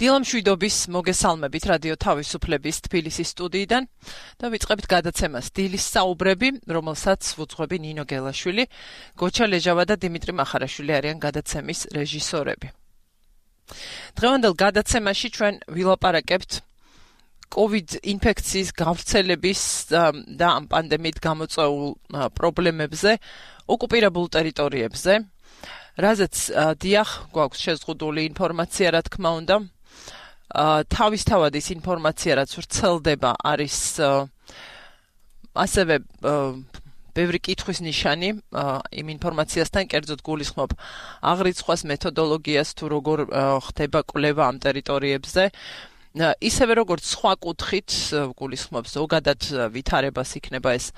დილამშვიდობის მოგესალმებით რადიო თავისუფლების თბილისის სტუდიიდან და ვიწყებთ გადაცემას დილის საუბრები, რომელსაც ვუძღვები ნინო გელაშვილი, გოჩა ლეჟავა და დიმიტრი მახარაშვილი არიან გადაცემის რეჟისორები. დღევანდელ გადაცემაში ჩვენ ვილაპარაკებთ COVID ინფექციის გავრცელების და ამ პანდემიით გამოწვეულ პრობლემებზე ოკუპირებულ ტერიტორიებზე, რაზეც დიახ გვაქვს შეზღუდული ინფორმაცია, რა თქმა უნდა. თავისთავად ის ინფორმაცია, რაც ვრცელდება, არის ასევე ბევრი კითხვის ნიშანი იმ ინფორმაციასთან, კერძოდ გულისხმობ აღრიცხვას, მეთოდოლოგიას, თუ როგორ ხდება კვლევა ამ ტერიტორიებზე. ისევე როგორც სხვა კუთხით გულისხმობს ზოგადად ვითარებას, იქნება ეს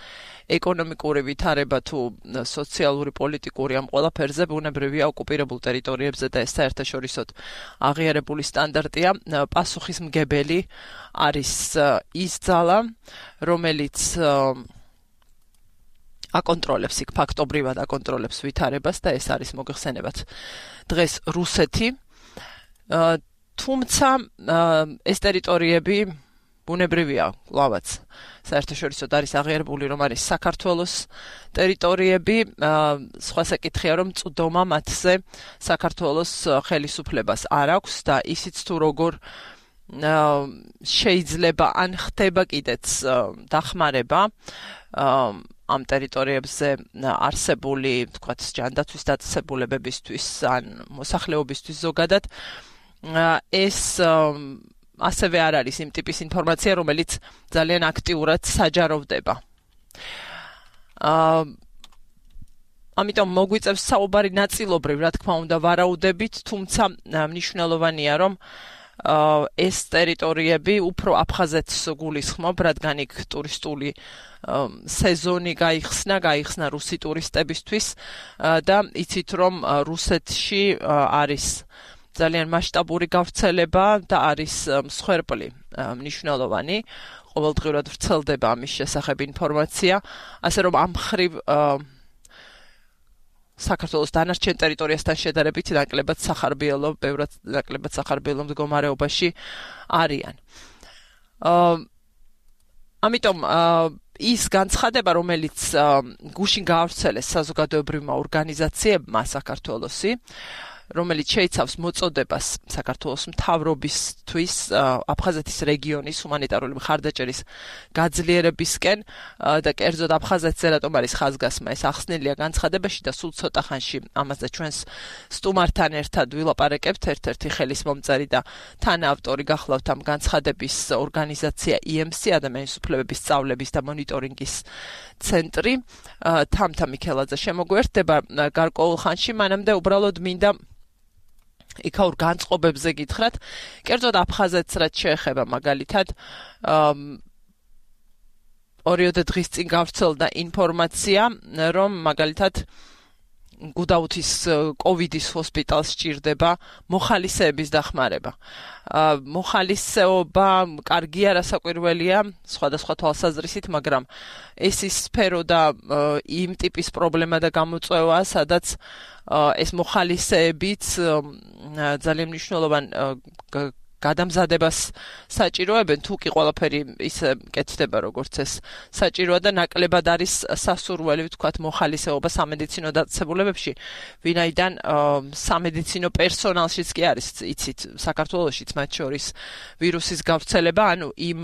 ეკონომიკური ვითარება თუ სოციალური პოლიტიკური, ამ ყველაფერზე ბუნებრივია ოკუპირებულ ტერიტორიებზე და ეს საერთაშორისოდ აღიარებული სტანდარტია. პასუხისმგებელი არის ის ძალა, რომელიც აკონტროლებს, იქ ფაქტობრივად აკონტროლებს ვითარებას და ეს არის მოგეხსენებათ დღეს რუსეთი. თუმცა ეს ტერიტორიები ბუნებრივია, კლავაც საერთაშორისოდ არის აღიარებული, რომ არის საქართველოს ტერიტორიები, სხვა საკითხია, რომ წვდომა მათზე საქართველოს ხელისუფლებას არ აქვს და ისიც თუ როგორ შეიძლება ან ხდება კიდეც დახმარება ამ ტერიტორიებზე არსებული, თქვათ, ჯანდაცვის დაწესებულებებისთვის ან მოსახლეობისთვის ზოგადად, ეს ასევე არ არის იმ ტიპის ინფორმაცია, რომელიც ძალიან აქტიურად საჯაროვდება. ამიტომ მოგვიწევს საუბარი ნაწილობრივ, რა თქმა უნდა, ვარაუდებით, თუმცა მნიშვნელოვანია, რომ ეს ტერიტორიები უფრო აფხაზეთს გულისხმობ, რადგან იქ ტურისტული სეზონი გაიხსნა რუსი ტურისტებისთვის და იცით, რომ რუსეთში არის ძალიან მასშტაბური გავრცელება და არის მსხვერპლი მნიშვნელოვანი. ყოველდღიურად ვრცელდება ამის შესახებ ინფორმაცია, ასე რომ ამ მხრივ საქართველოს დანარჩენ ტერიტორიასთან შედარებით ნაკლებად სახარბიელო, ბევრად ნაკლებად სახარბიელო მდგომარეობაში არიან. ამიტომ ის განცხადება, რომელიც გუშინ გაავრცელეს საზოგადოებრივმა ორგანიზაციებმა საქართველოსი, რომელიც შეიცავს მოწოდებას საქართველოს მთავრობისთვის აფხაზეთის რეგიონის ჰუმანიტარული მხარდაჭერის გაძლიერებისკენ და კერძოდ აფხაზეთზე რატომ არის ხაზგასმა, ეს ახსნილია განცხადებაში და სულ ცოტა ხანში ამაზე ჩვენს სტუმართან ერთად ვილაპარაკებთ. ერთ-ერთი ხელისმომწერი და თანაავტორი გახლავთ ამ განცხადების ორგანიზაცია EMC, ადამიანის უფლებების სწავლების და მონიტორინგის ცენტრი. თამთა მიქელაძე შემოგვერთდება გარკვეულ ხანში, მანამდე უბრალოდ მინდა იქაურ განწყობებზე გითხრათ, კერძოდ აფხაზეთს რაც შეეხება მაგალითად, ორიოდე დღის წინ გავრცელდა ინფორმაცია, რომ მაგალითად გუდაუთის კოვიდის ჰოსპიტალს სჭირდება მოხალისეების დახმარება. მოხალისეობა კარგია, რასაკვირველია, სხვადასხვა თვალსაზრისით, მაგრამ ეს ის სფერო და იმ ტიპის პრობლემა და გამოწვევა, სადაც ეს მოხალისეებიც ძალიან მნიშვნელოვან გადამზადებას საჭიროებენ, თუ კი ყველაფერი ისე კეთდება, როგორც ეს საჭიროა და ნაკლებად არის სასურველი, ვთქვათ, მოხალისეობა სამედიცინო დაწესებულებებში, ვინაიდან სამედიცინო პერსონალშიც კი არის, იცით, საქართველოშიც მათ შორის ვირუსის გავრცელება, ანუ იმ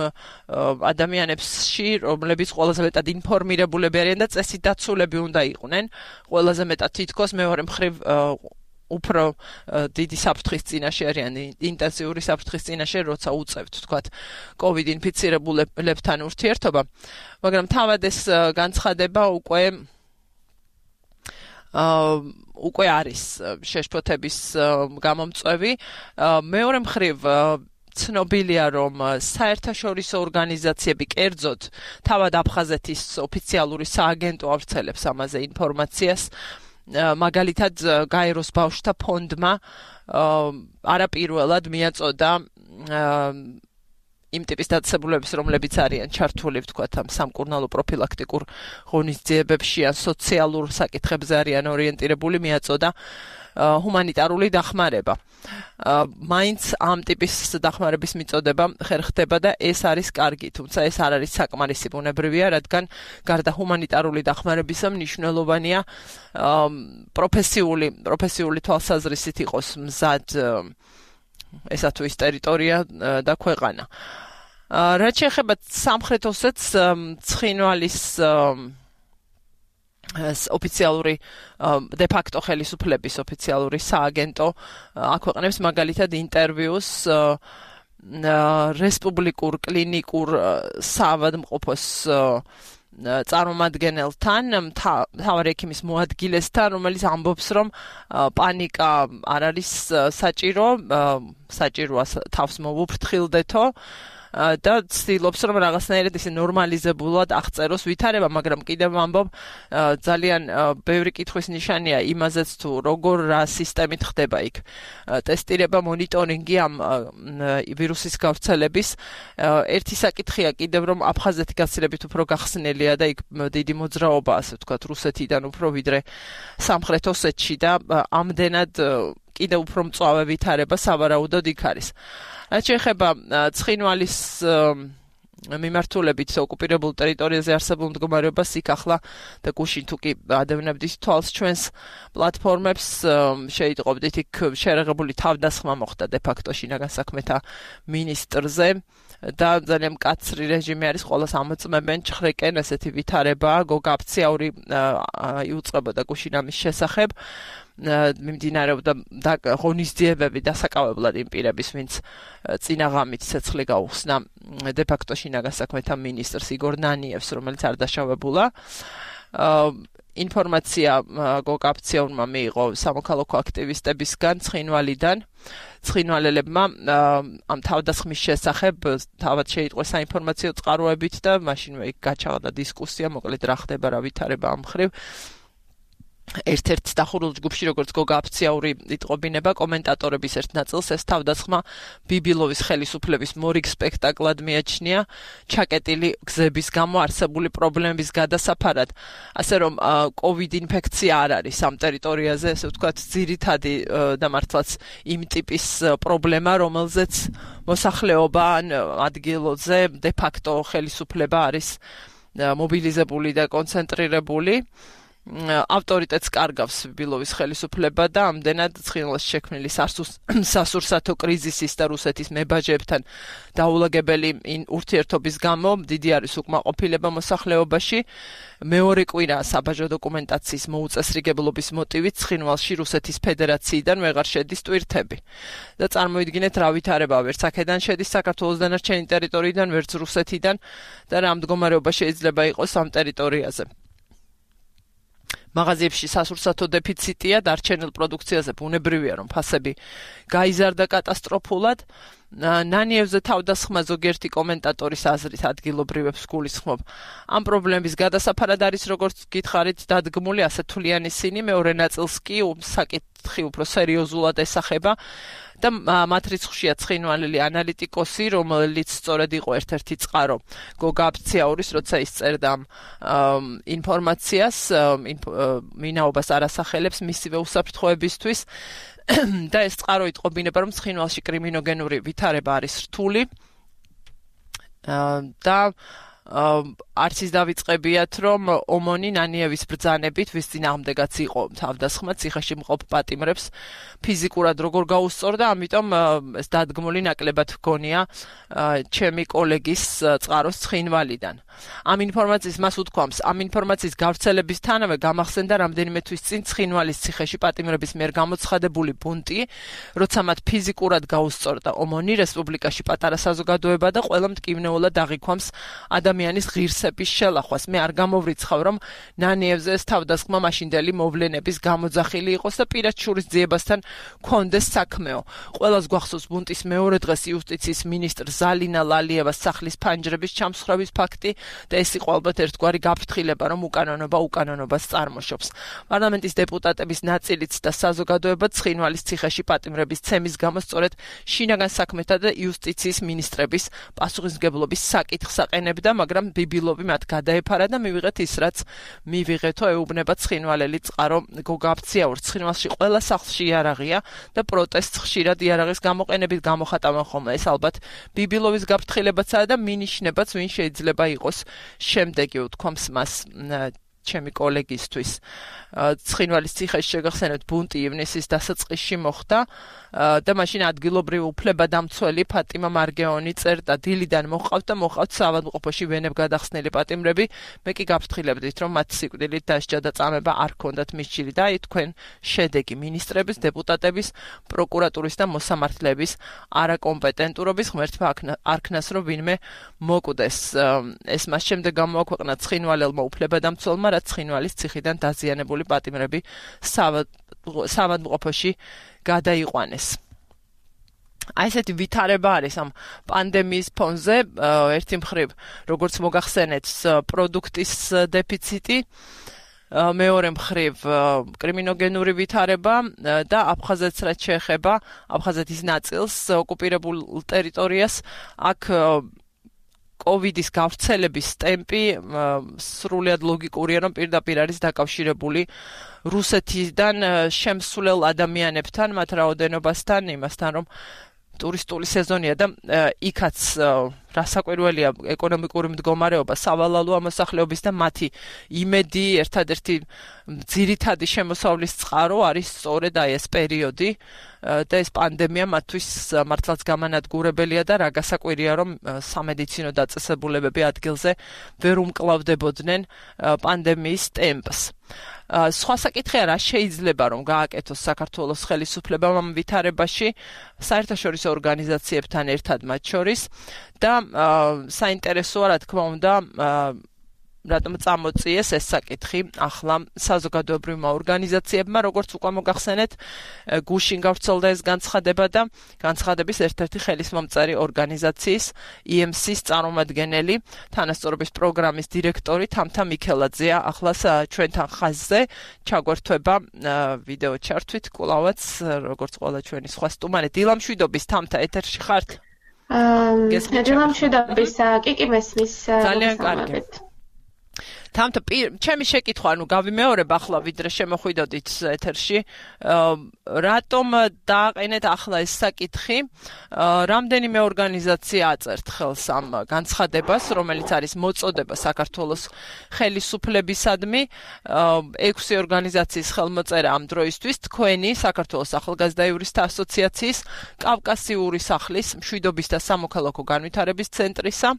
ადამიანებში, რომლებიც ყველაზე მეტად ინფორმირებულები არიან და წესით დაცულები უნდა იყვნენ, ყველაზე მეტად თითქოს მეორე მხრივ უფრო დიდი საფრთხის წინაშე არიან, ინტენსიური საფრთხის წინაშე, როცა უწევთ, თქვათ, COVID ინფიცირებულებთან ურთიერთობა, მაგრამ თავად ეს განცხადება უკვე არის შეშფოთების გამომწვევი. მეორე მხრივ ცნობილია, რომ საერთაშორისო ორგანიზაციები, კერძოდ თავად აფხაზეთის ოფიციალური სააგენტო ავრცელებს ამაზე ინფორმაციას. მაგალითად გაეროს ბავშვთა ფონდმა არაპირველად მიაწოდა იმ ტიპის დაწესებულებების, რომლებიც არიან ჩართული, ვთქვათ, ამ სამკურნალო პროფილაქტიკურ ღონისძიებებში ან სოციალურ საკითხებზე არიან ორიენტირებული, მიაწოდა ჰუმანიტარული დახმარება. მაინც ამ ტიპის დახმარების მიწოდება ხერხდება და ეს არის კარგი, თუმცა ეს არ არის საკმარისი ბუნებრივია, რადგან გარდა ჰუმანიტარული დახმარებისა მნიშვნელოვანია პროფესიული თვალსაზრისით იყოს მზად ესა თუ ის ტერიტორია და ქვეყანა. რაც შეეხება სამხრეთ ოსეთს, ცხინვალის ოფიციალური de facto ხელისუფლების ოფიციალური სააგენტო აქვეყნებს მაგალითად ინტერვიუს რესპუბლიკურ კლინიკურ საავადმყოფოს წარმომადგენელთან, მთავარი ექიმის მოადგილესთან, რომელიც ამბობს, რომ პანიკა არ არის საჭიროა თავს მოვუფრთხილდეთო და ცდილობს, რომ რაღაცნაირად ისე ნორმალიზებულად აღწეროს ვითარება, მაგრამ კიდევ ამბობ, ძალიან ბევრი კითხვის ნიშანია იმაზეც თუ როგორ რა სისტემით ხდება იქ ტესტირება, მონიტორინგი ამ ვირუსის გავრცელების. ერთი საკითხია კიდევ, რომ აფხაზეთი გაცილებით უფრო გახსნელია და იქ დიდი მოძრაობა, ასე ვთქვათ, რუსეთიდან უფრო ვიდრე სამხრეთ ოსეთში და ამდენად კიდევ უფრო მწვავე ვითარება სავარაუდოდ იქ არის. რაც შეეხება ცხინვალის მიმართულებით ოკუპირებულ ტერიტორიაზე არსებულ მდგომარეობას, იქ ახლა და გუშინ თუ კი ადევნებდით თვალს ჩვენს პლატფორმებს, შეიტყობდით იქ შერეღებული თავდასხმა მოხდა de facto შინაგან საქმეთა მინისტრზე და ძალიან მკაცრი რეჟიმი არის, ყოველას ამოწმებენ ჩხრეკენ, ესეთი ვითარება, გოგაფციაური იუწყებოდა გუშინ ამის შესახებ. მიმდინარეობდა ღონისძიებები დასაკავებლად იმ პირების, ვინც წინა ღამით ცეცხლი გაუხსნა de facto შინაგან საქმეთა მინისტრს იგორ ნანიევს, რომელიც არ დაშავებულა. ინფორმაცია გოგაფციაურმა მიიღო სამოქალაქო აქტივისტებისგან ცხინვალიდან. ცხინვალელებმა ამ თავდასხმის შესახებ თავად შეიტყვეს საინფორმაციო წყაროებით და მაშინვე იქ გაჩაღდა დისკუსია, მოკლედ რა ხდება, რა ვითარება ამ მხრივ. ერთ-ერთ დახურულ ჯგუფში, როგორც გოგაფციაური იტყობინება, კომენტატორების ერთ ნაწილს ეს თავდასხმა ბიბილოვის ხელისუფლების მორიგ სპექტაკლად მიაჩნია, ჩაკეტილი გზების გამო არსებული პრობლემების გადასაფარად. ასე რომ COVID ინფექცია არ არის ამ ტერიტორიაზე, ესე ვთქვათ, ძირითადი და მართლაც იმ ტიპის პრობლემა, რომელზეც მოსახლეობა ან ადგილზე de facto ხელისუფლება არის მობილიზებული და კონცენტრირებული. ავტორიტეტს კარგავს ბიბილოვის ხელისუფლება და ამდენად ცხინვალს შექმნილი სასურსათო კრიზისის და რუსეთის მებაჟეებთან დაულაგებელი ურთიერთობის გამო დიდი არის უკმაყოფილება მოსახლეობაში. მეორე კვირა საბაჟო დოკუმენტაციის მოუწესრიგებლობის მოტივით ცხინვალში რუსეთის ფედერაციიდან ვეღარ შედის ტვირთები. და წარმოიდგინეთ რა ვითარება, ვერც აქედან შედის საქართველოს დანარჩენი ტერიტორიიდან, ვერც რუსეთიდან და რა მდგომარეობა შეიძლება იყოს ამ ტერიტორიაზე. მაღაზიებში სასურსათო დეფიციტია, დარჩენილ პროდუქციაზე ბუნებრივია, რომ ფასები გაიზარდა კატასტროფულად. ნანიევზე თავდასხმა ზოგიერთი კომენტატორის აზრით ადგილობრივებს გულისხმობ. ამ პრობლემის გადასაფარად არის, როგორც გითხარით, დადგმული ასე თვლიან ისინი, მეორე ნაწილს კი საკითხი უფრო სერიოზულად ესახება. და მათ რიცხვშია ცხინვალელი ანალიტიკოსი, რომელიც სწორედ იყო ერთ-ერთი წყარო გოგაფციაურის, როცა ის წერდა ინფორმაციას, მინაობას არ ასახელებს მისივე უსაფრთხოებისთვის და ეს წყარო იტყობინება, რომ ცხინვალში კრიმინოგენური ვითარება არის რთული და არც ის დავიწყებიათ, რომ ომონი ნანიევის ბრძანებით, ვის წინააღმდეგაც იყო თავდასხმა, ციხეში მყოფ პატიმრებს ფიზიკურად როგორ გაუსწორდა, ამიტომ ეს დადგმული ნაკლებად გონია ჩემი კოლეგის წყაროს ცხინვალიდან. ამ ინფორმაციის მას უთქვამს, ამ ინფორმაციის გავრცელებისთანავე გამახსენდა რამდენიმე თვის წინ ცხინვალის ციხეში პატიმრების მიერ გამოცხადებული ბუნტი, როცა მათ ფიზიკურად გაუსწორდა ომონი, რესპუბლიკაში პატარა საზოგადოება და ყველა მტკივნეულად აღიქვამს ადამიანის ღირსების შელახვას. მე არ გამოვრიცხავ, რომ ნანიევზე ეს თავდასხმა მაშინდელი მოვლენების გამოძახილი იყოს და პირად შურისძიებასთან კონდეს საქმეო. ყველას გვახსოვს ბუნტის მეორე დღეს იუსტიციის მინისტრ ზალინა ლალიევას სახლის ფანჯრების ჩამსხვრევის ფაქტი და ეს იყო ალბათ ერთგვარი გაფრთხილება, რომ უკანონობას წარმოშობს. პარლამენტის დეპუტატების ნაწილიც და საზოგადოება ცხინვალის ციხეში პატიმრების ცემის გამო სწორედ შინაგან საქმეთა და იუსტიციის მინისტრების პასუხისმგებლობის საკითხს აყენებდა, მაგრამ ბიბილოვი მათ გადაეფარა და მივიღეთ ის, რაც მივიღეთო, ეუბნება ცხინვალელი წყარო გოგა აფციაურს. ცხინვალში ყველა სახლში იარაღია და პროტესტს ხშირად იარაღის გამოყენებით გამოხატავენ ხოლმე. ეს ალბათ ბიბილოვის გაფრთხილებაცაა და მინიშნებაც, ვინ შეიძლება იყოს შემდეგი, უთქვამს მას ჩემი კოლეგისთვის. ცხინვალის ციხეში შეგახსენებთ ბუნტი ივნისის დასაწყისში მოხდა და მაშინ ადგილობრივი უფლებადამცველი ფატიმა მარგეონი წერდა დილიდან მოყავთ საავადმყოფოში ვენებ გადახსნილი პატიმრები. მე კი გაფრთხილებდით, რომ მათ სიკვდილით დასჯა და წამება არ ჰქონდათ მისჯილი და თქვენ შედეგი მინისტრების, დეპუტატების, პროკურატურის და მოსამართლეების არაკომპეტენტურობის ღმერთმა არქნას, რომ ვინმე მოკვდეს. ეს მას შემდეგ გამოაქვეყნა ცხინვალელმა უფლებადამცველმა, რაც ცხინვალის ციხიდან დაზიანებული პატიმრები საავადმყოფოში გადაიყვანეს. აი ესეთი ვითარება არის ამ პანდემიის ფონზე. ერთი მხრივ, როგორც მოგახსენეთ, პროდუქტის დეფიციტი, მეორე მხრივ კრიმინოგენური ვითარება და აფხაზეთს რაც შეეხება აფხაზეთის ნაწილს, ოკუპირებულ ტერიტორიას, აქ კოვიდის გავრცელების ტემპი სრულად ლოგიკურია, რომ პირდაპირ არის დაკავშირებული რუსეთიდან შემსვლელ ადამიანებთან, მათ რაოდენობასთან, იმასთან, რომ ტურისტული სეზონია და იქაც რასაკვირველია ეკონომიკური მდგომარეობა, სავალალო მოსახლეობის და მათი იმედი, ერთადერთი ძირითადი შემოსავლის წყარო არის სწორედ აი ეს პერიოდი და ეს პანდემია მათთვის მართლაც გამანადგურებელია და რა გასაკვირია, რომ სამედიცინო დაწესებულებები ადგილზე ვერ უმკლავდებოდნენ პანდემიის ტემპს. სხვა საკითხია, რა შეიძლება რომ გააკეთოს საქართველოს ხელისუფლებამ ამ ვითარებაში საერთაშორისო ორგანიზაციებთან ერთად მათ შორის და საინტერესოა, რა თქმა უნდა, რატომ წამოწიეს ეს საკითხი ახლა საზოგადოებრივმა ორგანიზაციებმა, როგორც უკვე მოგახსენეთ, გუშინ გავრცელდა ეს განცხადება და განცხადების ერთ-ერთი ხელისმომწერი ორგანიზაციის EMC-ს წარმომადგენელი, თანასწორობის პროგრამის დირექტორი თამთა მიქელაძეა ახლა ჩვენთან ხაზზე. ჩაგვერთვება ვიდეო ჩართვით, კვლავაც როგორც ყველა ჩვენი სხვა სტუმარი. დილამშვიდობის თამთა, ეთერში ხართ? დილამშვიდობის, კი მესმის. ძალიან კარგი. თამთა, ჩემი შეკითხვა, გავიმეორებ ახლა, ვიდრე შემოხვიდოდით ეთერში, რატომ დააყენეთ ახლა ეს საკითხი? რამდენიმე ორგანიზაცია აწერთ ხელს ამ განცხადებას, რომელიც არის მოწოდება საქართველოს ხელისუფლებისადმი. 6 ორგანიზაციის ხელმოწერა ამ დროისთვის, თქვენი საქართველოს ახალგაზრდა იურისტთა ასოციაციის, კავკასიური სახლის, მშვიდობის და სამოქალაქო განვითარების ცენტრისა,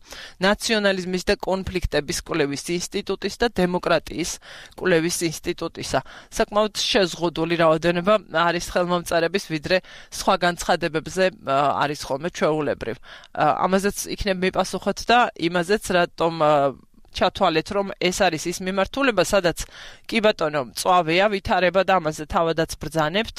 ნაციონალიზმის და კონფლიქტების კვლევის ინსტიტუტის და დემოკრატიის კვლევის ინსტიტუტისა. საკმაოდ შეზღუდული რაოდენობა არის ხელმომწერების, ვიდრე სხვა განცხადებებზე არის ხოლმე ჩვეულებრივ. ამაზეც იქნებ მიპასუხოთ და იმაზეც, რატომ ჩათვალეთ, რომ ეს არის ის მიმართულება, სადაც კი ბატონო, მწვავეა ვითარება და ამაზე თავადაც ბრძანებთ,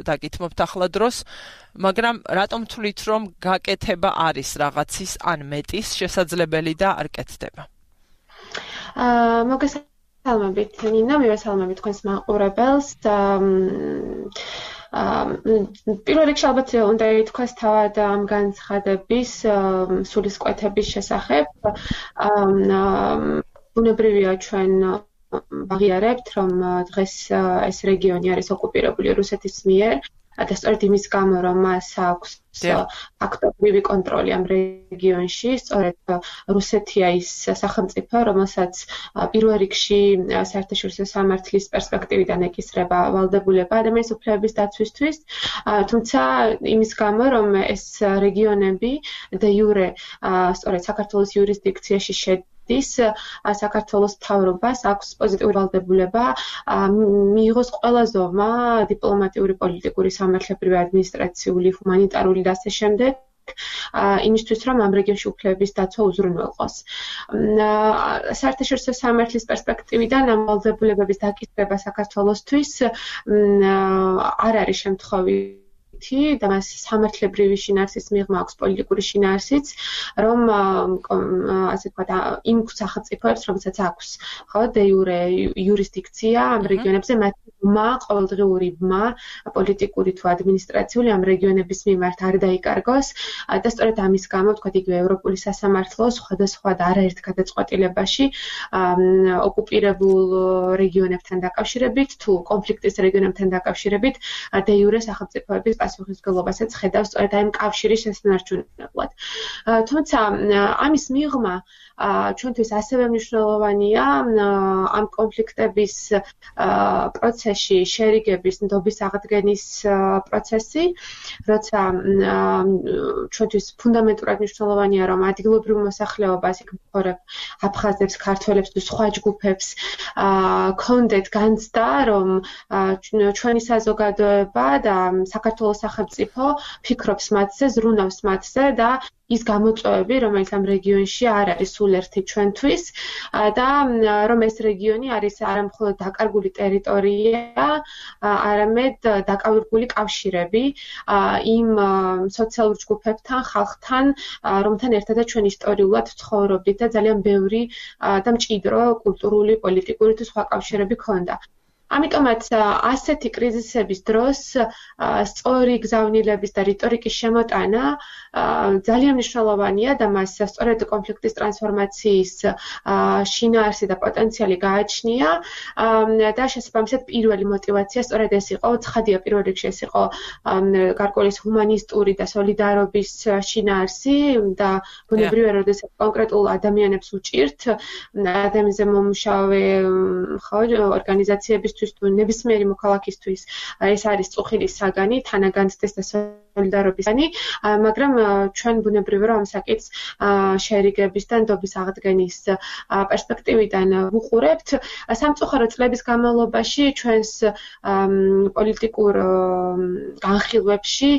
დაგითმობთ ახლა დროს, მაგრამ რატომ თვლით, რომ გაკეთება არის რაღაცის ან მეტის შესაძლებელი და არ კეთდება? მოგესალმებით ნინო, მივესალმებით თქვენს მაყურებელს. პირველ რიგში ალბათ უნდა ითქვას თავად ამ განცხადების სულისკვეთების შესახებ. ბუნებრივია ჩვენ ვაღიარებთ, რომ დღეს ეს რეგიონი არის ოკუპირებული რუსეთის მიერ. და სწორედ იმის გამო, რომ მას აქვს ფაქტობრივი კონტროლი ამ რეგიონში, სწორედ რუსეთია ის სახელმწიფო, რომელსაც პირველ რიგში საერთაშორისო სამართლის პერსპექტივიდან ეკისრება ვალდებულება ადამიანის უფლებების დაცვისთვის, თუმცა იმის გამო, რომ ეს რეგიონები და იურე სწორედ საქართველოს იურისდიქციაში საქართველოს მთავრობას აქვს პოზიტიური ვალდებულება მიიღოს ყველა ზომა დიპლომატიური, პოლიტიკური, სამართლებრივი, ადმინისტრაციული, ჰუმანიტარული და ასე შემდეგ იმისთვის რომ ამ რეგიონში უფლებების დაცვა უზრუნველყოს. საერთაშორისო სამართლის პერსპექტივიდან ამ ვალდებულებების დაკისრება საქართველოსთვის არ არის შემთხვევითი და მას სამართლებრივი შინაარსის მიღმა აქვს პოლიტიკური შინაარსიც, რომ ასე ვთქვათ, იმ სახელმწიფოებს, რომელსაც აქვს ხო დე იურე იურისდიქცია ამ რეგიონებზე, მათ ყოველდღიური პოლიტიკური თუ ადმინისტრაციული ამ რეგიონების მიმართ არ დაიკარგოს და სწორედ ამის გამო ვთქვათ იგივე ევროპული სასამართლო სხვადასხვა და არაერთ გადაწყვეტილებაში ოკუპირებულ რეგიონებთან დაკავშირებით თუ კონფლიქტის რეგიონებთან დაკავშირებით დე იურე სახელმწიფოების პასუხისმგებლობასაც ხედავს სწორედ აი ამ კავშირის შესანარჩუნებლად. თუმცა ამის მიღმა ჩვენთვის ასევე მნიშვნელოვანია ამ კონფლიქტების პროცესში შერიგების ნდობის აღდგენის პროცესი, როცა ჩვენთვის ფუნდამენტურად მნიშვნელოვანია, რომ ადგილობრივ მოსახლეობას, იქ მცხოვრებ აფხაზებს, ქართველებს თუ სხვა ჯგუფებს ქონდეთ განცდა, რომ ჩვენი საზოგადოება და საქართველოს სახელმწიფო ფიქრობს მათზე, ზრუნავს მათზე და ის გამოწვევები, რომელიც ამ რეგიონში არ არის სულ ერთი ჩვენთვის და რომ ეს რეგიონი არის არა მხოლოდ დაკარგული ტერიტორია, არამედ დაკარგული კავშირები იმ სოციალურ ჯგუფებთან, ხალხთან, რომთან ერთადაც ჩვენ ისტორიულად ცხოვრობდით და ძალიან ბევრი და მჭიდრო კულტურული, პოლიტიკური თუ სხვა კავშირები ქონდა. ამიტომაც ასეთი კრიზისების დროს სწორი გზავნილების და რიტორიკის შემოტანა ძალიან მნიშვნელოვანია და მას სწორედ კონფლიქტის ტრანსფორმაციის შინაარსი და პოტენციალი გააჩნია და შესაბამისად პირველი მოტივაცია სწორედ ეს იყო, ცხადია პირველ რიგში ეს იყო გარკვეული ჰუმანისტური და სოლიდარობის შინაარსი და ბუნებრივია, როდესაც კონკრეტულ ადამიანებს უჭირთ ადამიანზე მომუშავე ორგანიზაციებისთვის თუ ნებისმიერი მოქალაქისთვის ეს არის წუხილის საგანი, თანაგანცდის და სოლიდარობისანი, მაგრამ ჩვენ ბუნებრივია რომ ამ საკითხს შერიგების და ნდობის აღდგენის პერსპექტივიდან ვუყურებთ. სამწუხარო წლების განმავლობაში ჩვენს პოლიტიკურ განხილვებში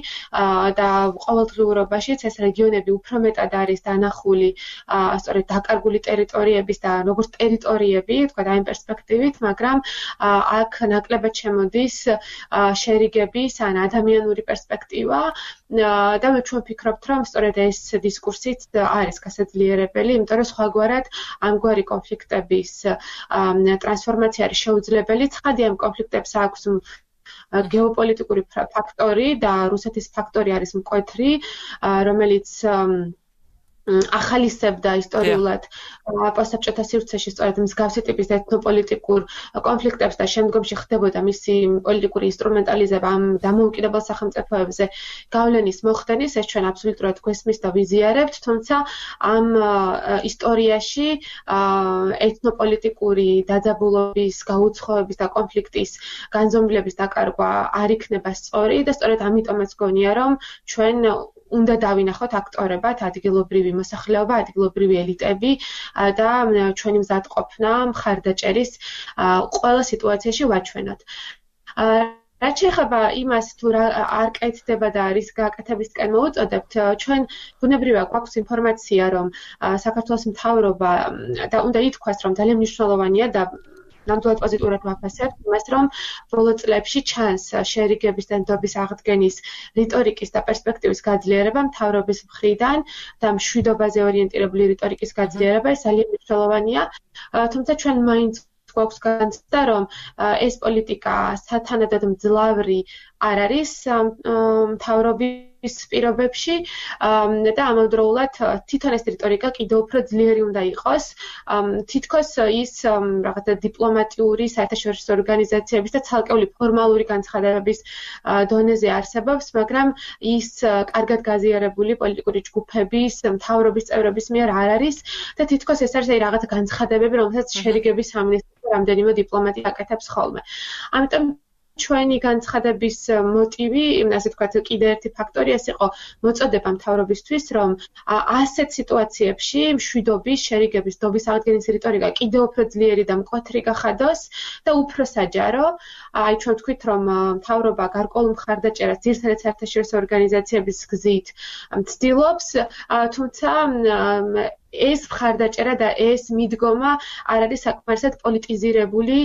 და ყოველდღიურობაშიც ეს რეგიონები უფრო მეტად არის დანახული სწორედ დაკარგული ტერიტორიების და როგორც ტერიტორიები, თქვა ამ პერსპექტივით, მაგრამ აქ ნაკლებად შემოდის შერიგების ან ადამიანური პერსპექტივა და ჩვენ ვფიქრობთ, რომ სწორედ ეს დისკურსიც არის გასაძლიერებელი, იმიტომ რომ სხვაგვარად ამგვარი კონფლიქტების ტრანსფორმაცია არის შეუძლებელი. ცხადია, ამ კონფლიქტებს აქვს გეოპოლიტიკური ფაქტორი და რუსეთის ფაქტორი არის მკვეთრი, რომელიც ახალისებდა ისტორიულად პოსტსაბჭოთა სივრცეში სწორედ მსგავსი ტიპის ეთნოპოლიტიკურ კონფლიქტებს და შემდგომში ხდებოდა მისი პოლიტიკური ინსტრუმენტალიზება ამ დამოუკიდებელ სახელმწიფოებზე გავლენის მოხდენის, ეს ჩვენ აბსოლუტურად გვესმის და ვიზიარებთ, თუმცა ამ ისტორიაში ეთნოპოლიტიკური დაძაბულობის, გაუცხოების და კონფლიქტის განზომილების დაკარგვა არ იქნება სწორი და სწორედ ამიტომაც გონია, რომ ჩვენ უნდა დავინახოთ აქტორებად ადგილობრივი მოსახლეობა, ადგილობრივი ელიტები და ჩვენი მზადყოფნა მხარდაჭერის ყველა სიტუაციაში ვაჩვენოთ. რაც შეეხება იმას, თუ რა არ კეთდება და რის გაკეთებისკენ მოუწოდებთ, ჩვენ ბუნებრივია გვაქვს ინფორმაცია, რომ საქართველოს მთავრობა და უნდა ითქვას, რომ ძალიან მნიშვნელოვანია და ნამდვილად პოზიტიურად ვაფასებთ იმას, რომ ბოლო წლებში ჩანს შერიგების და ნდობის აღდგენის რიტორიკის და პერსპექტივის გაძლიერება მთავრობის მხრიდან და მშვიდობაზე ორიენტირებული რიტორიკის გაძლიერება, ეს ძალიან მნიშვნელოვანია. თუმცა ჩვენ მაინც გვაქვს განცდა, რომ ეს პოლიტიკა სათანადოდ მძლავრი არ არის მთავრობის პირობებში და ამავდროულად თვითონ ეს რიტორიკა კიდევ უფრო ძლიერი უნდა იყოს. თითქოს ის რაღაცა დიპლომატიური საერთაშორისო ორგანიზაციების და ცალკეული ფორმალური განცხადებების დონეზე არსებობს, მაგრამ ის კარგად გაზიარებული პოლიტიკური ჯგუფების, მთავრობის წევრების მიერ არ არის და თითქოს ეს არის რაღაცა განცხადებები, რომელსაც შერიგების სამინისტრო რამდენიმე დიპლომატი აკეთებს ხოლმე. ამიტომ ჩვენი განცხადების მოტივი, ასე ვთქვათ, კიდე ერთი ფაქტორი ეს იყო მოწოდება მთავრობისთვის, რომ ასეთ სიტუაციებში მშვიდობის, შერიგების, დობის აღდგენის რიტორიკა კიდევ უფრო ძლიერი და მკვეთრი გახადოს და უფრო საჯარო. აი ჩვენ ვთქვით, რომ მთავრობა გარკვეულ მხარდაჭერას ძირითადად საერთაშორისო ორგანიზაციების გზით ცდილობს, თუმცა ეს მხარდაჭერა და ეს მიდგომა არ არის საკმარისად პოლიტიზირებული,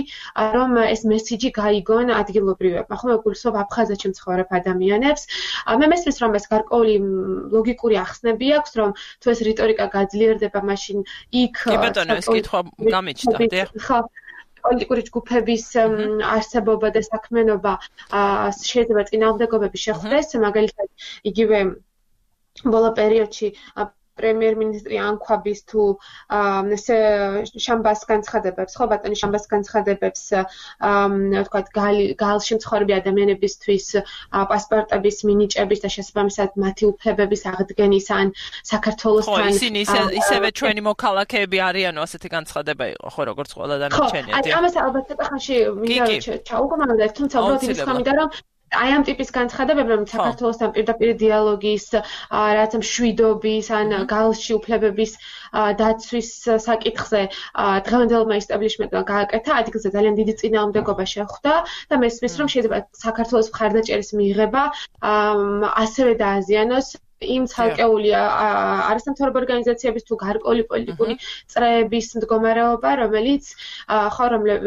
რომ ეს მესიჯი გაიგონ ადგილობრივებმა. ხომ გულისხმობ აფხაზეთში მცხოვრებ ადამიანებს. მე მესმის, რომ ეს გარკვეული ლოგიკური ახსნები აქვს, რომ თუ ეს რიტორიკა გაძლიერდება, მაშინ იქ კი ბატონო, ეს კითხვა გამიჩნდა, დიახ. ხო, პოლიტიკური ჯგუფების არსებობა და საქმიანობა შეიძლება წინააღმდეგობები შეხვდეს, მაგალითად იგივე ბოლო პერიოდში პრემიერ-მინისტრი ანქვაბის თუ შამბას განცხადებებს, ხო ბატონი შამბას განცხადებებს, ვთქვათ, გალში მცხოვრები ადამიანებისთვის პასპორტების მინიჭების და შესაბამისად მათი უფლებების აღდგენის ან საქართველოსთან ხო, ისინი ისევე ჩვენი მოქალაქეები არიანო, ასეთი განცხადება იყო, ხო, როგორც ყველა დანარჩენია. ხო, ამას ალბათ ცოტა ხანში მინდა ჩაუგმოვდეთ, თუმცა უბრალოდ იმის გამიდა, რომ აი ამ ტიპის განცხადებები, რომ საქართველოსთან პირდაპირ დიალოგის, რაც მშვიდობის ან გალში უფლებების დაცვის საკითხზე დღევანდელმა ისტაბლიშმენტმა გააკეთა, ადგილზე ძალიან დიდი წინააღმდეგობა შეხვდა და მესმის, რომ შეიძლება საქართველოს მხარდაჭერის მიღება ასევე დააზიანოს იმ ცალკეული არასამთავრობო ორგანიზაციების თუ გარკვეული პოლიტიკური წრეების მდგომარეობა,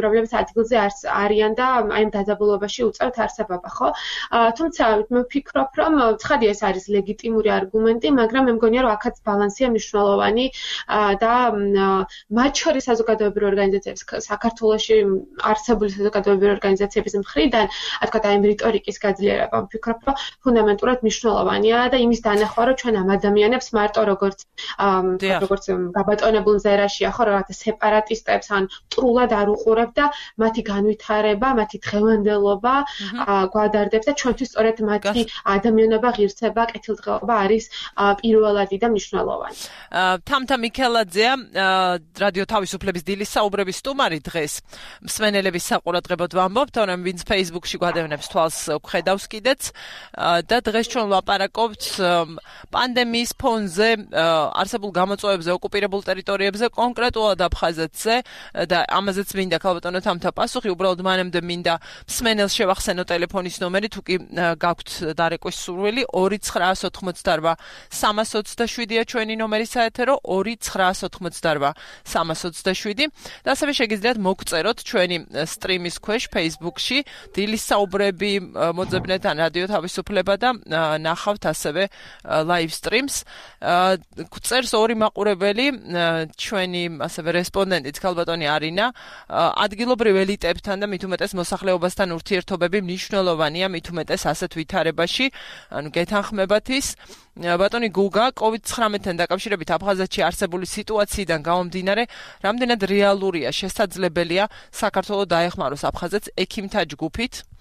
რომლებიც ადგილზე არიან და აი ამ დაძაბულობაში უწევთ არსებობა, ხო? თუმცა მე ვფიქრობ, რომ ცხადია ეს არის ლეგიტიმური არგუმენტი, მაგრამ მე მგონია, რომ აქაც ბალანსია მნიშვნელოვანი და მათ შორის საზოგადოებრივი ორგანიზაციების, საქართველოში არსებული საზოგადოებრივი ორგანიზაციების მხრიდან, თქვათ, აი ამ რიტორიკის გაძლიერება, ვფიქრობ, რომ ფუნდამენტურად მნიშვნელოვანია და იმის ხო რომ ჩვენ ამ ადამიანებს მარტო როგორც გაბატონებულ ზერაშია ხო რაღაცა სეპარატისტებს ან მტრულად არ უყურებ და მათი განვითარება, მათი დღევანდელობა გვადარდებს და ჩვენთვის სწორედ მათი ადამიანობა, ღირსება, კეთილდღეობა არის პირველადი და მნიშვნელოვანი. თამთა მიქელაძეა, რადიო თავისუფლების დილის საუბრების სტუმარი დღეს. მსმენელების საყურადღებოდ ვამბობთ, რომ ვინც Facebook-ში გვადევნებს თვალს ხედავს კიდეც და დღეს ჩვენ ვლაპარაკობთ პანდემიის ფონზე არსებულ გამოწვევებზე ოკუპირებულ ტერიტორიებზე, კონკრეტულად აფხაზეთზე და ამაზეც მინდა ქალბატონო თამთა პასუხი, უბრალოდ მანამდე მინდა მსმენელს შევახსენო ტელეფონის ნომერი, თუ კი გაქვთ დარეკვის სურვილი 298-327-ია ჩვენი ნომერი საეთერო 298-327 და ასევე შეგიძლიათ მოგწეროთ ჩვენი სტრიმის ქვეშ Facebook-ში დილის საუბრები მოძებნეთ ან რადიო თავისუფლება და ნახავთ ასევე live streams. წერს ორი მაყურებელი, ჩვენი ასევე რესპონდენტიც ქალბატონი არინა, ადგილობრივ ელიტებთან და მით უმეტეს მოსახლეობასთან ურთიერთობები მნიშვნელოვანია, მით უმეტეს ასეთ ვითარებაში, ანუ გეთანხმებათ ის. ბატონი გუგა, COVID-19-თან დაკავშირებით აფხაზეთში არსებული სიტუაციიდან გამომდინარე, რამდენად რეალურია, შესაძლებელია საქართველოს დაეხმაროს აფხაზეთს ექიმთა ჯგუფით?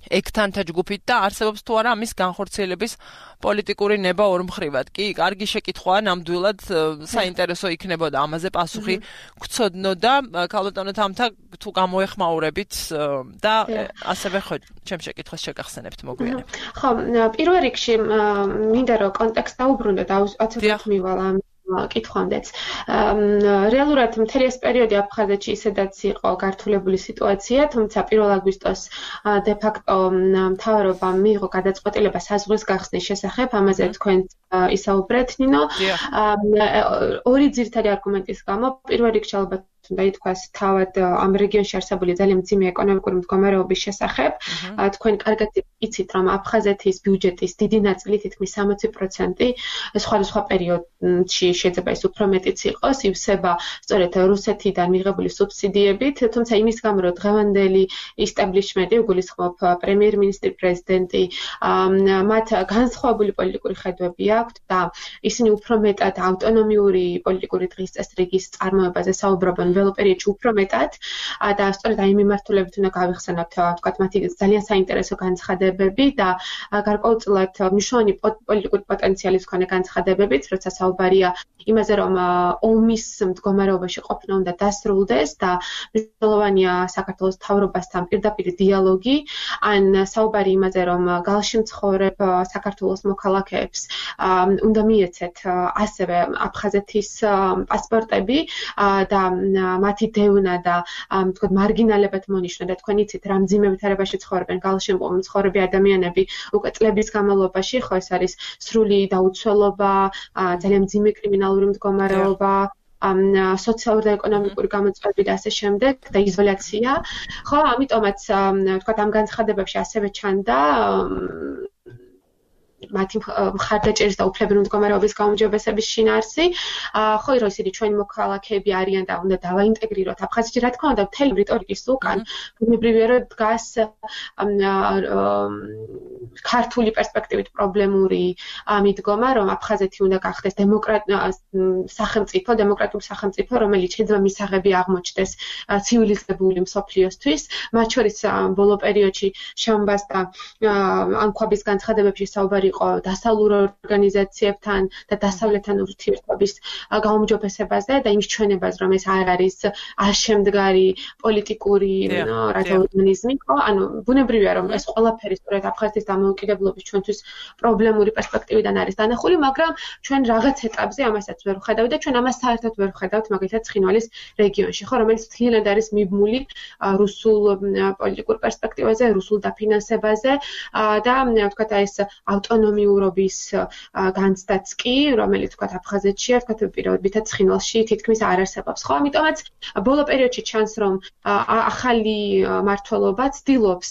ექთანთა ჯგუფით და არსებობს თუ არა ამის განხორციელების პოლიტიკური ნება ორმხრივად. კი, კარგი შეკითხვაა, ნამდვილად საინტერესო იქნებოდა ამაზე პასუხი გცოდნოდა ქალბატონო თამთა თუ გამოეხმაურებით და ასევე ხო ჩემ შეკითხვას შეგახსენებთ მოგვიანებით. ხო, პირველ რიგში მინდა რომ კონტექსტ დაუბრუნდე და აცილებით მივალ კითხვამდეც. რეალურად მთელი ეს პერიოდი აფხაზეთში ისედაც იყო გართულებული სიტუაცია, თუმცა 1 აგვისტოს დე-ფაქტო მთავრობამ მიიღო გადაწყვეტილება საზღვრის გახსნის შესახებ, ამაზე თქვენ ისაუბრეთ, ნინო. ორი ძირითადი არგუმენტის გამო, პირველ რიგში ალბათ უნდა ითქვას თავად ამ რეგიონში არსებული ძალიან მძიმე ეკონომიკური მდგომარეობის შესახებ. თქვენ კარგად იცით, რომ აფხაზეთის ბიუჯეტის დიდი ნაწილი, თითქმის 60% სხვადასხვა პერიოდში შეიძლება ის უფრო მეტიც იყოს, ივსება სწორედ რუსეთიდან მიღებული სუბსიდიებით, თუმცა იმის გამო, რომ დღევანდელი ისტაბლიშმენტი, გულისხმობ პრემიერ-მინისტრი, პრეზიდენტი, მათ განსხვავებული პოლიტიკური ხედვები აქვთ და ისინი უფრო მეტად ავტონომიური პოლიტიკური დღის წესრიგის წარმოებაზე საუბრობენ, ველოპერიოდში უფრო მეტად და სწორედ აი მიმართულებით უნდა გავიხსენოთ თქვათ მათი ძალიან საინტერესო განცხადებები და გარკვეულწილად მნიშვნელოვანი პოლიტიკური პოტენციალის მქონე განცხადებებიც, როცა საუბარია იმაზე, რომ ომის მდგომარეობაში ყოფნა უნდა დასრულდეს და მნიშვნელოვანია საქართველოს მთავრობასთან პირდაპირ დიალოგი, ან საუბარი იმაზე, რომ გალში მცხოვრებ საქართველოს მოქალაქეებს უნდა მიეცეთ ასევე აფხაზეთის პასპორტები და მათი დევნა და თქვათ მარგინალებად მონიშნა და თქვენ იცით რა მძიმე ვითარებაში ცხოვრობენ გალში მცხოვრები ადამიანები უკვე წლების განმავლობაში, ხო ეს არის სრული დაუცველობა, ძალიან მძიმე კრიმინალური მდგომარეობა, სოციალური და ეკონომიკური გამოწვევები და ასე შემდეგ და იზოლაცია. ხო, ამიტომაც თქვათ ამ განცხადებებში ასევე ჩანდა მათი მხარდაჭერის და უფლებრივი მდგომარეობის გაუმჯობესების შინაარსი. ხო, რომ ისინი ჩვენი მოქალაქეები არიან და უნდა დავაინტეგრიროთ აფხაზეთში, რა თქმა უნდა, მთელი რიტორიკის უკან ბუნებრივია რომ დგას ქართული პერსპექტივით პრობლემური მიდგომა, რომ აფხაზეთი უნდა გახდეს დემოკრატიული სახელმწიფო, რომელიც შეიძლება მისაღები აღმოჩნდეს ცივილიზებული მსოფლიოსთვის, მათ შორის ბოლო პერიოდში შემბასდა ანქვაბის განცხადებებში საუბარი იყო დასავლურ ორგანიზაციებთან და დასავლეთთან ურთიერთობის გაუმჯობესებაზე და იმის ჩვენებას, რომ ეს არ არის არშემდგარი პოლიტიკური ორგანიზმი, ხო? ანუ ბუნებრივია, რომ ეს ყველაფერი სწორედ აფხაზეთის დამოუკიდებლობის ჩვენთვის პრობლემური პერსპექტივიდან არის დანახული, მაგრამ ჩვენ რაღაც ეტაპზე ამასაც ვერ ვხედავთ და ჩვენ ამას საერთოდ ვერ ვხედავთ, მაგალითად ცხინვალის რეგიონში, ხო, რომელიც მთლიანად არის მიბმული რუსულ პოლიტიკურ პერსპექტივაზე, რუსულ დაფინანსებაზე და ვთქვათ ეს ავტონომიურობის განცდაც კი, რომელიც ვთქვათ აფხაზეთშია, ვთქვათ პირობითად ცხინვალში თითქმის არ არსებობს, ხო? ამიტომაც ბოლო პერიოდში ჩანს, რომ ახალი მმართველობა ცდილობს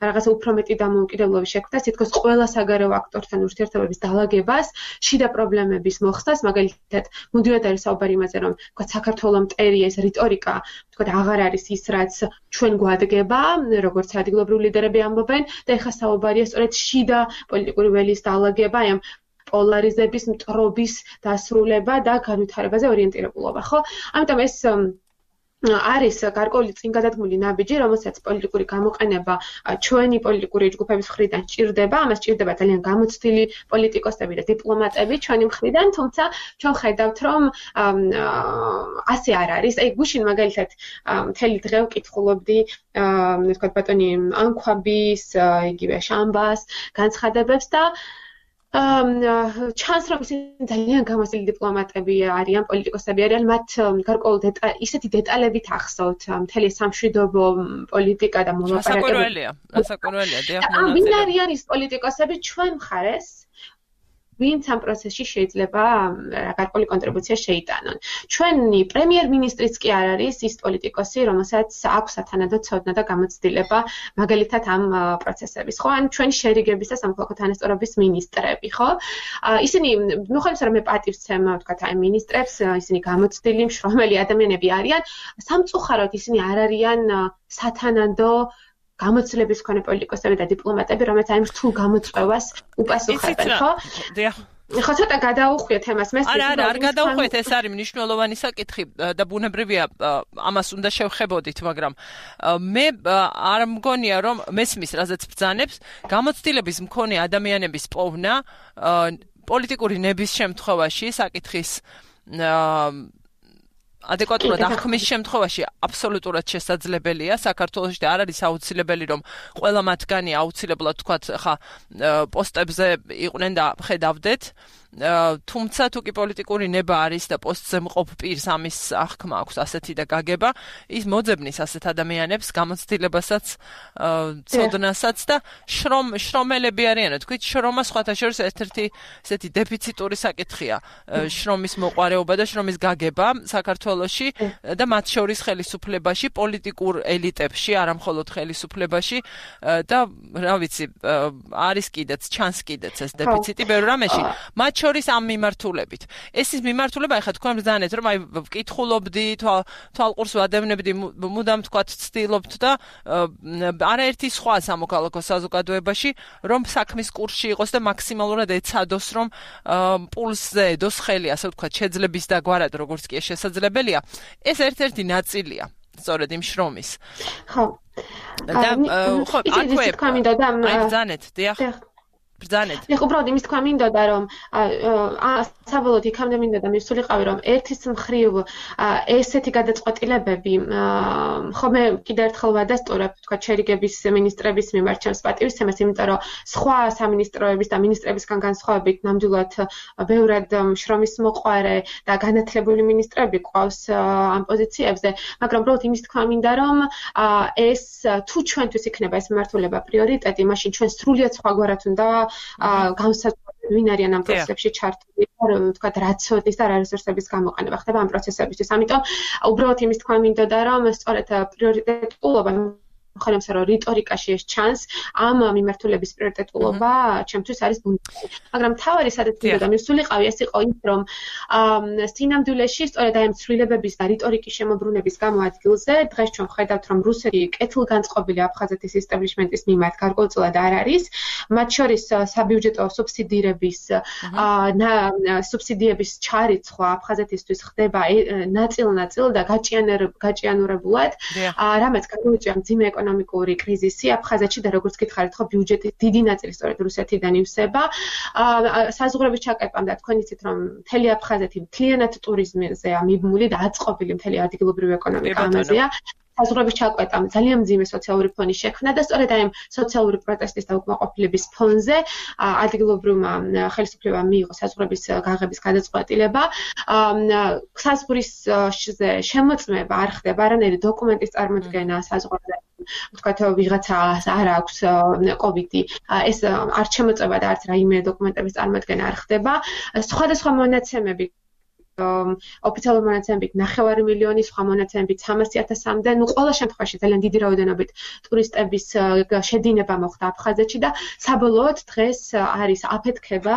რაღაცა უფრო მეტი დამოუკიდებლობის შექმნას, თითქოს ყველა საგარეო აქტორთან ურთიერთობების დალაგებას, შიდა პრობლემების მოხსნას, მაგალითად, მუდმივად არის საუბარი იმაზე, რომ ვთქვათ საქართველოს მტერი ეს რიტორიკა, ვთქვათ, აღარ არის ის, რაც ჩვენ გვადგება, როგორც ადგილობრივი ლიდერები ამბობენ და ეხლა საუბარია სწორედ შიდა პოლიტიკური ველის დალაგება, აი ამ პოლარიზების მტრობის დასრულება და განვითარებაზე ორიენტირებულობა, ხო? ამიტომ ეს არის გარკვეული წინგადადგმული ნაბიჯი, რომელსაც პოლიტიკური გამოყენება ჩვენი პოლიტიკური ჯგუფების მხრიდან სჭირდება, ამას სჭირდება ძალიან გამოცდილი პოლიტიკოსები და დიპლომატები ჩვენი მხრიდან, თუმცა ჩვენ ხედავთ, რომ ასე არ არის. აი გუშინ მაგალითად მთელი დღე ვკითხულობდი, ვთქვათ, ბატონი ანქვაბის, იგივე შამბას განცხადებებს და ჩანს რომ ისინი ძალიან გამოცდილი დიპლომატები არიან, პოლიტიკოსები არიან, მათ გარკვეულ ისეთი დეტალებით ახსოვთ მთელი სამშვიდობო პოლიტიკა და მოლაპარაკებები. ასაკურველია, დიახ. ვინ არიან ის პოლიტიკოსები ჩვენ მხარეს, ვინც ამ პროცესში შეიძლება გარკვეული კონტრიბუცია შეიტანონ. ჩვენი პრემიერ-მინისტრიც კი არ არის ის პოლიტიკოსი, რომელსაც აქვს სათანადო ცოდნა და გამოცდილება მაგალითად ამ პროცესების, ხო? ან ჩვენი შერიგების და სამოქალაქო თანასწორობის მინისტრები, ხო? ისინი მიუხედავად რომ მე პატივცემ, ვთქვათ, აი მინისტრებს, ისინი გამოცდილი, მშრომელი ადამიანები არიან, სამწუხაროდ ისინი არ არიან სათანადო გამოცდილების მქონე პოლიტიკოსები და დიპლომატები, რომელიც აი რთულ გამოწვევას უპასუხებენ, ხო? დიახ. ხო, ცოტა გადაუხვიეთ ამას, მე არ გადაუხვიეთ, ეს არის მნიშვნელოვანი საკითხი და ბუნებრივია ამას უნდა შევხებოდით, მაგრამ მე არ მგონია, რომ მესმის, რაზეც ბრძანებს, გამოცდილების მქონე ადამიანების პოვნა პოლიტიკური ნების შემთხვევაში საკითხის ადეკვატურად აღქმის შემთხვევაში აბსოლუტურად შესაძლებელია. საქართველოში არ არის აუცილებელი, რომ ყველა მათგანი აუცილებლად თქვათ, ხა პოსტებზე იყვნენ და ხედავდეთ. თუმცა თუ კი პოლიტიკური ნება არის და პოსტზე მყოფ პირს ამის აღქმა აქვს ასეთი და გაგება, ის მოძებნის ასეთ ადამიანებს გამოცდილებასაც, ცოდნასაც და შრომელები არიან. თქვით, შრომა სხვათა შორის ერთ-ერთი ესეთი დეფიციტური საკითხია. შრომის მოყვარეობა და შრომის გაგება საქართველოში და მათ შორის ხელისუფლებაში, პოლიტიკურ ელიტებში, არა მხოლოდ ხელისუფლებაში და რა ვიცი, არის კიდეც, ჩანს კიდეც ეს დეფიციტი ბევრ რამეში. მათ შორის ამ მიმართულებით. ეს ის მიმართულება, ეხლა თქვენ ბრძანეთ, რომ აი ვკითხულობდი, თვალყურს ვადევნებდი, მუდამ თქვათ ცდილობთ და არაერთი სხვა სამოქალაქო საზოგადოებაში, რომ საქმის კურსში იყოს და მაქსიმალურად ეცადოს, რომ პულსზე ედოს ხელი, ასე ვთქვათ, შეძლების დაგვარად, როგორც კი შესაძლებელია. ეს ერთ-ერთი ნაწილია, სწორედ იმ შრომის. ხო. და ხო, აქვე ბრძანეთ, დიახ. ბრძანეთ. ეხლა უბრალოდ იმის თქვა მინდოდა, რომ საბოლოოდ იქამდე მინდოდა მივსულიყავი, რომ ერთის მხრივ ესეთი გადაწყვეტილებები ხომ კიდევ ერთხელ ვადასტურებ, თქვა შერიგების მინისტრების მიმართ ჩემს პატივისცემას, იმიტომ რომ სხვა სამინისტროების და მინისტრებისგან განსხვავებით ნამდვილად ბევრად შრომის მოყვარე და განათლებული მინისტრები ყავს ამ პოზიციებზე, მაგრამ უბრალოდ იმის თქვა მინდა, რომ ეს თუ ჩვენთვის იქნება ეს მიმართულება პრიორიტეტი, მაშინ ჩვენ სრულიად სხვაგვარად უნდა განსაზღვროთ ვინ არიან ამ პროცესებში ჩართული, თქვათ რა ცოდნის და რა რესურსების გამოყენება ხდება ამ პროცესებისთვის. ამიტომ უბრალოდ იმის თქვა მინდოდა, რომ სწორედ პრიორიტეტულობა მხოლოდ რომ რიტორიკაში ეს ჩანს, ამ მიმართულების პრიორიტეტულობა ჩემთვის არის ბუნდები. მაგრამ თავარი სადაც მინდოდა მივსულიყავი, ეს იყო ის, რომ სინამდვილეში სწორედ აი ამ ცვლილებების და რიტორიკის შემოbrunების გამო ადგილზე დღეს ჩვენ ვხედავთ, რომ რუსეთი კეთილგანწყობილი აფხაზეთის ესტაბლიშმენტის მიმართ გარკვეულწილად არ არის, მათ შორის საბიუჯეტო სუბსიდიების ჩარიცხვა აფხაზეთისთვის ხდება ნაწილ-ნაწილ და გაჭიანურებულად, რამაც გამოიწვია მძიმე ეკონომიკური კრიზისი აფხაზეთში და როგორც გითხარით, ხო ბიუჯეტის დიდი ნაწილი სწორედ რუსეთიდან ივსება. საზღვრების ჩაკეტვამ და თქვენ იცით, რომ მთელი აფხაზეთი მთლიანად ტურიზმზეა მიბმული და აწყობილი მთელი ადგილობრივი ეკონომიკა ამაზეა. საზღვრების ჩაკვეტამ ძალიან მძიმე სოციალური ფონი შექმნა და სწორედ აი ამ სოციალური პროტესტის და უკმაყოფილების ფონზე ადგილობრივმა ხელისუფლებამ მიიღო საზღვრების გაღების გადაწყვეტილება. საზღვრის შემოწმება არ ხდება, არანაირი დოკუმენტის წარმოდგენა საზღვრზე. ვთქვათ, ვიღაცას არ აქვს კოვიდი, ეს არ შემოწმება და არც რაიმე დოკუმენტების წარმოდგენა არ ხდება. სხვადასხვა მონაცემები ოფიციალური მონაცემებით 9 მილიონი, სხვა მონაცემებით 300,000-მდე, ყველა შემთხვევაში ძალიან დიდი რაოდენობით ტურისტების შედინება მოხდა აფხაზეთში და საბოლოოდ დღეს არის აფეთქება,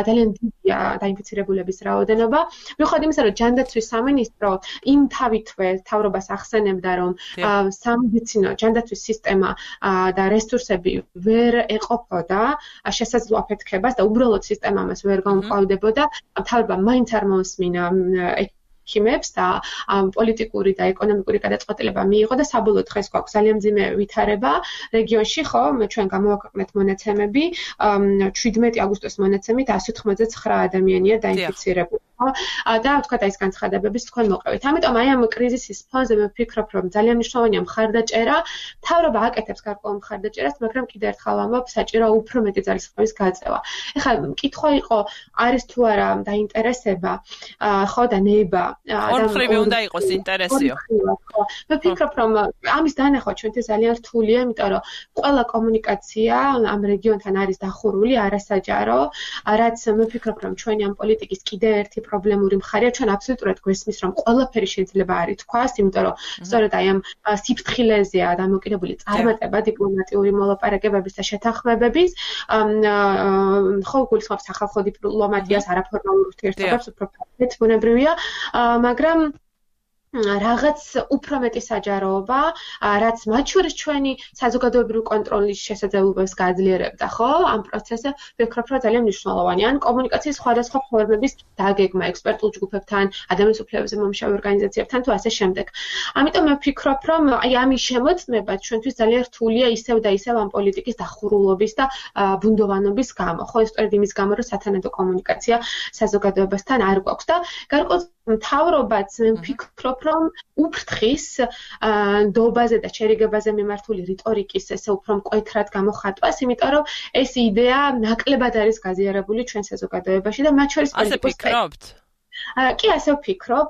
ძალიან დიდია დაინფიცირებულების რაოდენობა. მიუხედავად იმისა, რომ ჯანდაცვის სამინისტრო იმ თავითვე თავრობას ახსენებდა, რომ სამედიცინო ჯანდაცვის სისტემა და რესურსები ვერ ეყოფოდა შესაძლო აფეთქებას და უბრალოდ სისტემა მას ვერ გაუმკლავდებოდა, თავრობა მაინც არ მოусმინა ექიმებს და პოლიტიკური და ეკონომიკური გადაწყვეტილება მიიღო და საბოლოოდ დღეს გვაქვს ძალიან მძიმე ვითარება რეგიონში, ხო, ჩვენ გამოვაქვეყნეთ მონაცემები, 17 აგვისტოს მონაცემით 199 ადამიანია დაინფიცირებული. და ვთქვათ, ეს განცხადებების თქვენ მოყევით. ამიტომ აი ამ კრიზისის ფონზე მე ვფიქრობ, რომ ძალიან მნიშვნელოვანია მხარდაჭერა. თავრობა აკეთებს გარკვეულ მხარდაჭერას, მაგრამ კიდევ ერთხელ ვამბობ, საჭირო უფრო მეტი ძალისხმევის გაწევა. ეხლა კითხვა იყო, არის თუ არა დაინტერესება, ხო და ნება. ორმხრივი უნდა იყოს ინტერესიო. მე ვფიქრობ, რომ ამის დანახვა ჩვენთვის ძალიან რთულია, იმიტომ რომ ყველა კომუნიკაცია ამ რეგიონთან არის დახურული, არასაჯარო, რაც მე ვფიქრობ, რომ ჩვენი ამ პოლიტიკის კიდევ ერთი პრობლემური მხარეა, ჩვენ აბსოლუტურად გვესმის, რომ ყველაფერი შეიძლება არ ითქვას, იმიტომ რომ სწორედ აი ამ სიფრთხილეზეა დამოკიდებული წარმატება დიპლომატიური მოლაპარაკებების და შეთანხმებების, ხო გულისხმობს სახალხო დიპლომატიას, არაფორმალურ ურთიერთობებს, უფრო ფართედ ბუნებრივია, მაგრამ რაღაც უფრო მეტი საჯაროობა, რაც მათ შორის ჩვენი საზოგადოებრივი კონტროლის შესაძლებლობებს გააძლიერებდა, ხო? ამ პროცესზე ვფიქრობ, რომ ძალიან მნიშვნელოვანია. ან კომუნიკაციის სხვადასხვა ფორმების დაგეგმა ექსპერტულ ჯგუფებთან, ადამიანის უფლებებზე მომუშავე ორგანიზაციებთან თუ ასე შემდეგ. ამიტომ მე ვფიქრობ, რომ აი ამის შემოწმება ჩვენთვის ძალიან რთულია ისევ და ისევ ამ პოლიტიკის დახურულობის და ბუნდოვანობის გამო. ხო, სწორედ იმის გამო, რომ სათანადო კომუნიკაცია საზოგადოებასთან არ გვაქვს და გარკვეულ მთავრობაც მე ვფიქრობ, რომ უფრთხის ნდობაზე და შერიგებაზე მიმართული რიტორიკის ესე უფრო მკვეთრად გამოხატვას, იმიტომ რომ ეს იდეა ნაკლებად არის გაზიარებული ჩვენ საზოგადოებაში და მათ შორის ასე ფიქრობთ? კი ასე ვფიქრობ,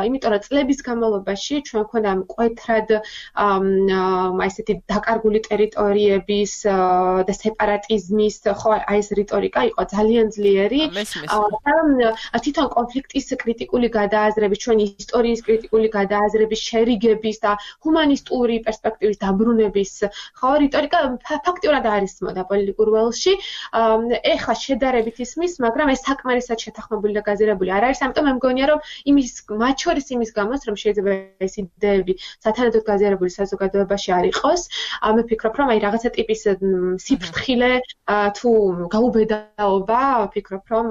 იმიტომ რომ წლების განმავლობაში ჩვენ გვქონდა მკვეთრად ესეთი დაკარგული ტერიტორიების და სეპარატიზმის ხო აი ეს რიტორიკა იყო ძალიან ძლიერი. თვითონ კონფლიქტის კრიტიკული გადააზრების, ჩვენი ისტორიის კრიტიკული გადააზრების, შერიგების და ჰუმანისტური პერსპექტივის დაბრუნების ხო რიტორიკა ფაქტიურად არ ისმოდა პოლიტიკურ ველში. ეხლა შედარებით ისმის, მაგრამ ეს საკმარისად შეთანხმებული და გაზირებული არ არის, ამიტომ მე მგონია რომ მათ შორის იმის გამოც რომ შეიძლება ეს იდეები სათანადოდ გაზიარებული საზოგადოებაში არ იყოს, მე ვფიქრობ რომ აი რაღაცა ტიპის სიფრთხილე თუ გაუბედაობა ვფიქრობ რომ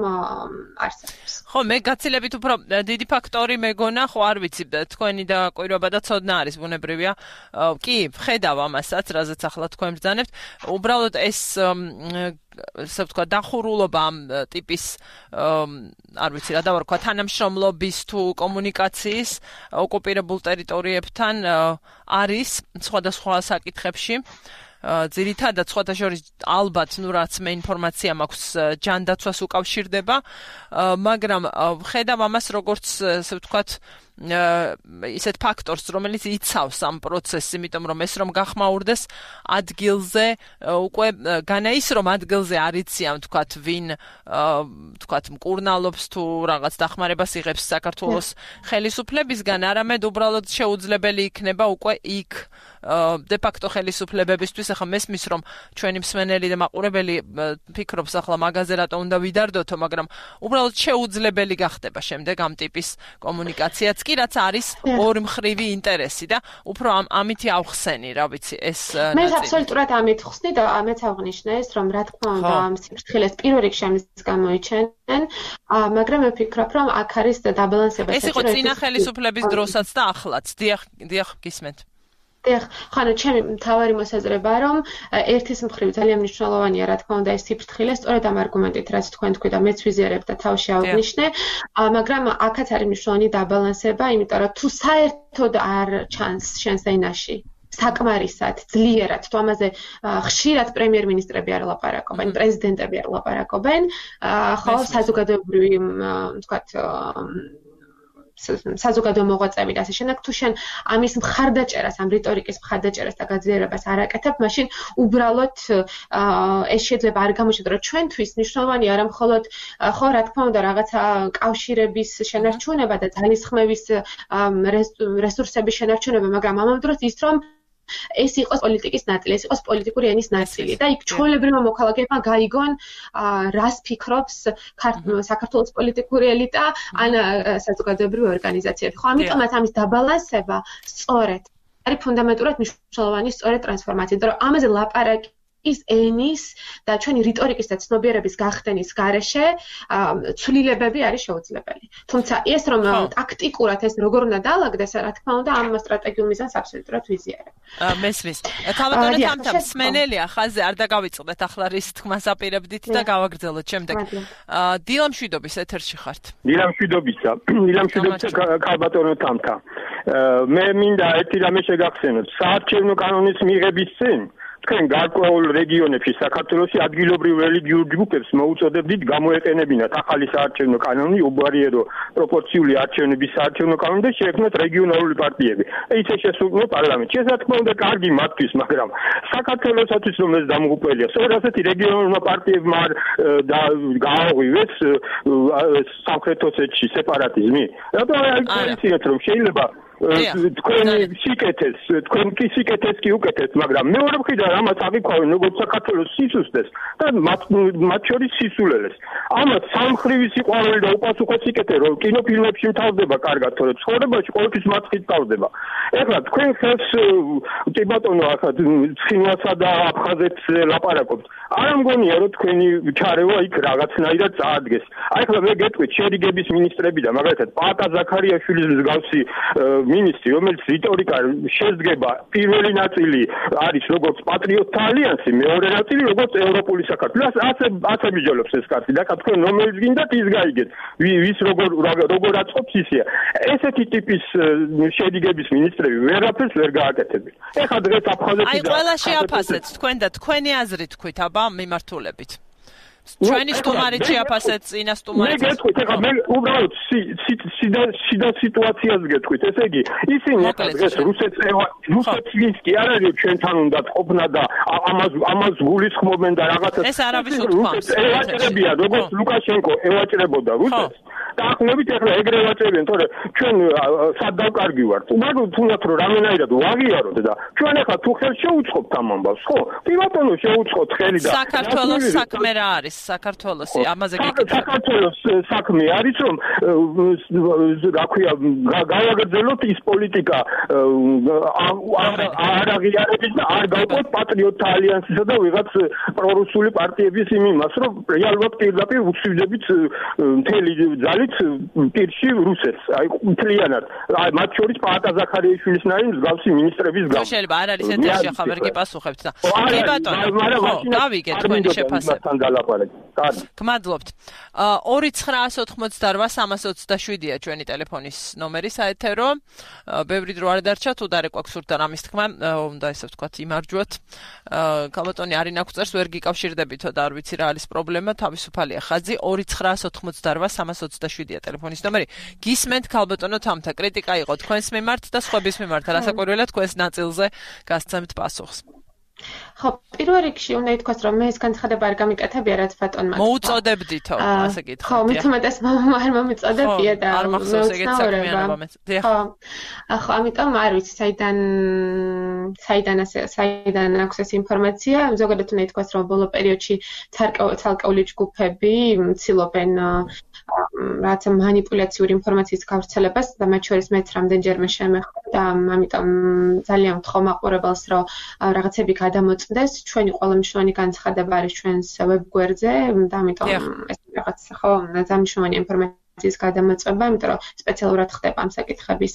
არსებობს. ხო, მე გაცილებით უფრო დიდი ფაქტორი მეგონა, ხო არ ვიცი, თქვენი დაკვირვება და ცოდნა არის ბუნებრივია. კი, ვხედავ ამასაც, რაზეც ახლა თქვენ ბრძანებთ. უბრალოდ ეს ასე ვთქვა დახურულობა ამ ტიპის არ ვიცი რა დავარქვა თანამშრომლობის თუ კომუნიკაციის ოკუპირებულ ტერიტორიებთან არის სხვადასხვა საკითხებში. ძირითადად სხვათა შორის ალბათ რაც მე ინფორმაცია მაქვს ჯანდაცვას უკავშირდება, მაგრამ ვხედავ ამას როგორც ასე ვთქვათ ისეთ ფაქტორს, რომელიც იცავს ამ პროცესს, იმიტომ რომ ეს რომ გახმაურდეს ადგილზე, უკვე განა ის რომ ადგილზე არ იციან, ვთქვათ, ვინ ვთქვათ მკურნალობს თუ რაღაც დახმარებას იღებს საქართველოს ხელისუფლებისგან, არამედ უბრალოდ შეუძლებელი იქნება უკვე იქ de facto ხელისუფლებებისთვის. ახლა მესმის რომ ჩვენი მსმენელი და მაყურებელი ფიქრობს ახლა მაგაზე რატო უნდა ვიდარდოთო, მაგრამ უბრალოდ შეუძლებელი გახდება შემდეგ ამ ტიპის კომუნიკაციაც კი რაც არის ორმხრივი ინტერესი და უფრო ამითი ავხსენი, რა ვიცი, ეს მე აბსოლუტურად ამით ხსნი და ამეც აღნიშნე ეს რომ რა თქმა უნდა ამ სიფრთხილეს პირველ რიგში ამის გამოიჩენენ, მაგრამ მე ვფიქრობ რომ აქ არის დაბალანსება. ეს იყო წინა ხელისუფლების დროსაც და ახლაც. დიახ, გისმენთ. ხანო ჩემი მთავარი მოსაზრება რომ ერთის მხრივ ძალიან მნიშვნელოვანია რა თქმა უნდა ეს სიფრთხილე სწორედ ამ არგუმენტით რაც თქვენ თქვი და მეც ვიზიარებ და თავში ავნიშნე, მაგრამ აქაც არის მნიშვნელოვანი დაბალანსება, იმიტომ რომ თუ საერთოდ არ ჩანს შენს ენაში საკმარისად ძლიერად თუ ამაზე ხშირად პრემიერ-მინისტრები არ ლაპარაკობენ, პრეზიდენტები არ ლაპარაკობენ, ხო საზოგადოებრივი ვთქვათ საზოგადო მოღვაწეები და ასე შემდეგ, თუ შენ ამის მხარდაჭერას, ამ რიტორიკის მხარდაჭერას და გაძლიერებას არ აკეთებ, მაშინ უბრალოდ ეს შეიძლება არ გამოჩნდეს, რომ ჩვენთვის მნიშვნელოვანი არა მხოლოდ ხო რა თქმა უნდა რაღაცა კავშირების შენარჩუნება და ძალისხმევის რესურსების შენარჩუნება, მაგრამ ამავდროულად ის რომ ეს იყოს პოლიტიკის ნაწილი, ეს იყოს პოლიტიკური ენის ნაწილი და იქ ჩვეულებრივმა მოქალაქეებმა გაიგონ რას ფიქრობს საქართველოს პოლიტიკური ელიტა ან საზოგადოებრივი ორგანიზაციები. ხო, ამიტომაც ამის დაბალანსება სწორედ არის ფუნდამენტურად მნიშვნელოვანი სწორედ ტრანსფორმაცია, იმიტომ რომ ამაზე ლაპარაკი ის ენის და ჩვენი რიტორიკის და ცნობიერების გახდენის გარეშე ცვლილებები არის შეუძლებელი. თუმცა ეს რომ ტაქტიკურად ეს როგორ უნდა დაალაგდეს, რა თქმა უნდა, ამ სტრატეგიულ მიზანს აბსოლუტურად ვიზიარებ. მესმის. ქალბატონო თამთა მსმენელია ხაზზე არ დაგავიწყდეთ ახლა რის თქმას აპირებდით და გავაგრძელოთ შემდეგ. დილამშვიდობის ეთერში ხართ. დილამშვიდობისა ქალბატონო თამთა. მე მინდა ერთი რამე შეგახსენოთ. საარჩევნო კანონის მიღების წინ თქვენ გარკვეულ რეგიონებში საქართველოში ადგილობრივ რელიგიურ ჯგუფებს მოუწოდებდით გამოეყენებინათ ახალი საარჩევნო კანონი, უბარიერო პროპორციული არჩევნების საარჩევნო კანონი და შეექმნათ რეგიონალური პარტიები. ისე შესულყო პარლამენტში. ეს რა თქმა უნდა კარგი მათთვის, მაგრამ საქართველოსთვის რომ ეს დამღუპველია, სწორედ ასეთი რეგიონულმა პარტიებმა გააღვივეს სამხრეთ ოსეთში სეპარატიზმი. რატო არ იცით რომ შეიძლება თქვენი სიკეთეს, თქვენ კი სიკეთეს კი უკეთეს, მაგრამ მეორე მხრიდან ამას აღიქვავენ როგორც საქართველოს სისუსტეს და მათ შორის სისულელეს. ამას სამხრივი სიყვარული და უპასუხო სიკეთე რომ კინოფილმებში მთავრდება კარგად, თორე ცხოვრებაში ყოველთვის მაცხით თავდება. ეხლა თქვენ ხელს კი ბატონო ახლა ცხინვალსა და აფხაზეთს ლაპარაკობთ. არ მგონია რომ თქვენი ჩარევა იქ რაღაცნაირად წაადგეს. აი ახლა მე გეტყვით შერიგების მინისტრები და მაგალითად პაატა ზაქარიაშვილის მსგავსი მინისტრი, რომელიც რიტორიკა შეძგება, პირველი ნაწილი არის როგორც პატრიოტთა ალიანსი, მეორე ნაწილი როგორც ევროპული საქართველო. ასე მიჯოლობს ეს კაცი და თქვენ რომელიც გინდათ ის გაიგეთ. ვის როგორ აწყობს ისეა. ესეთი ტიპის შერიგების მინისტრები ვერაფერს ვერ გააკეთებენ. ეხლა დღეს აფხაზეთი აი ყველა შეაფასეთ თქვენ და თქვენი აზრი თქვით აბა მიმართულებით. ჩვენი სტუმარი შეაფასეთ წინა სტუმარი. მე გეტყვით, ეხლა მე უბრალოდ სიდა სიტუაციას გეტყვით, ესე იგი, ისინი დღეს რუსეთს კი არ არის ჩვენთან უნდა ყოფნა და ამას გულისხმობენ და რაღაცა. ეს არავის უთქვამს. ევაჭრებიან, როგორც ლუკაშენკო ევაჭრებოდა რუსეთს. და ახლებით ეხლა ეგრე ევაჭრებიან, თორე ჩვენ სად დავკარგი ვართ. უბრალოდ თუნდაც რომ რამენაირად ვაღიაროთ და ჩვენ ეხლა თუ ხელ შეუწყობთ ამ ამბავს, ხო? კი ბატონო, შეუწყოთ ხელი და საქართველოს საქმე რა არის? საქართველოსი ამაზე გეკითხეთ. საქართველოს საქმე არის რომ რა ქვია გავაგრძელოთ ის პოლიტიკა არ აღიარების და არ გავყოთ პატრიოტთა ალიანსისა და ვიღაც პრორუსული პარტიების იმ იმას რომ რეალურად პირდაპირ უცივდებით მთელი ძალით პირში რუსეთს აი მთლიანად აი მათ შორის პაატა ზაქარიაშვილის ნაირ მსგავსი მინისტრების გამო შეიძლება არ არის ეთერში ახლა ვერ გიპასუხებთ და კი ბატონო დავიგეთ თქვენი შეფასება გმადლობთ 2988-327-ია ჩვენი ტელეფონის ნომერი საეთერო ბევრი დრო არ დარჩა თუ დარეკვა გსურთ და რამის თქმა უნდა ესე ვთქვათ იმარჯვოთ ქალბატონი არინა გვწერს ვერ გიკავშირდებითო და არ ვიცი რა არის პრობლემა თავისუფალია ხაზი 2988-327-ია ტელეფონის ნომერი გისმენთ ქალბატონო თამთა კრიტიკა იყო თქვენს მიმართ და სხვების მიმართ რასაკვირველია თქვენს ნაწილზე გასცემთ პასუხს ხო, პირველ რიგში უნდა ითქვას, რომ მე ეს განცხადება არ გამიკეთებია, რაც ბატონმა. მოუწოდებდითო, ასე გითხრათ. ხო, მithumetes არ მომიწოდებია და არ მახსოვს ეგეთ საქმიანობა მე. ხო, ამიტომ არ ვიცი, საიდან აქვს ეს ინფორმაცია. ზოგადად უნდა ითქვას, რომ ბოლო პერიოდში ცალკეული ჯგუფები ცდილობენ რაც მანიპულაციური ინფორმაციის გავრცელებას და მათ შორის მეც რამდენჯერმე შემეხო და ამიტომ ძალიან ვთხოვ მაყურებელს, რომ რაღაცები გადამოწმდეს. ჩვენი ყველა მნიშვნელოვანი განცხადება არის ჩვენს ვებგვერდზე და ამიტომ ეს რაღაც ხო ძალიან მნიშვნელოვანი ინფორმაციის გადამოწმება, იმიტომ რომ სპეციალურად ხდება ამ საკითხების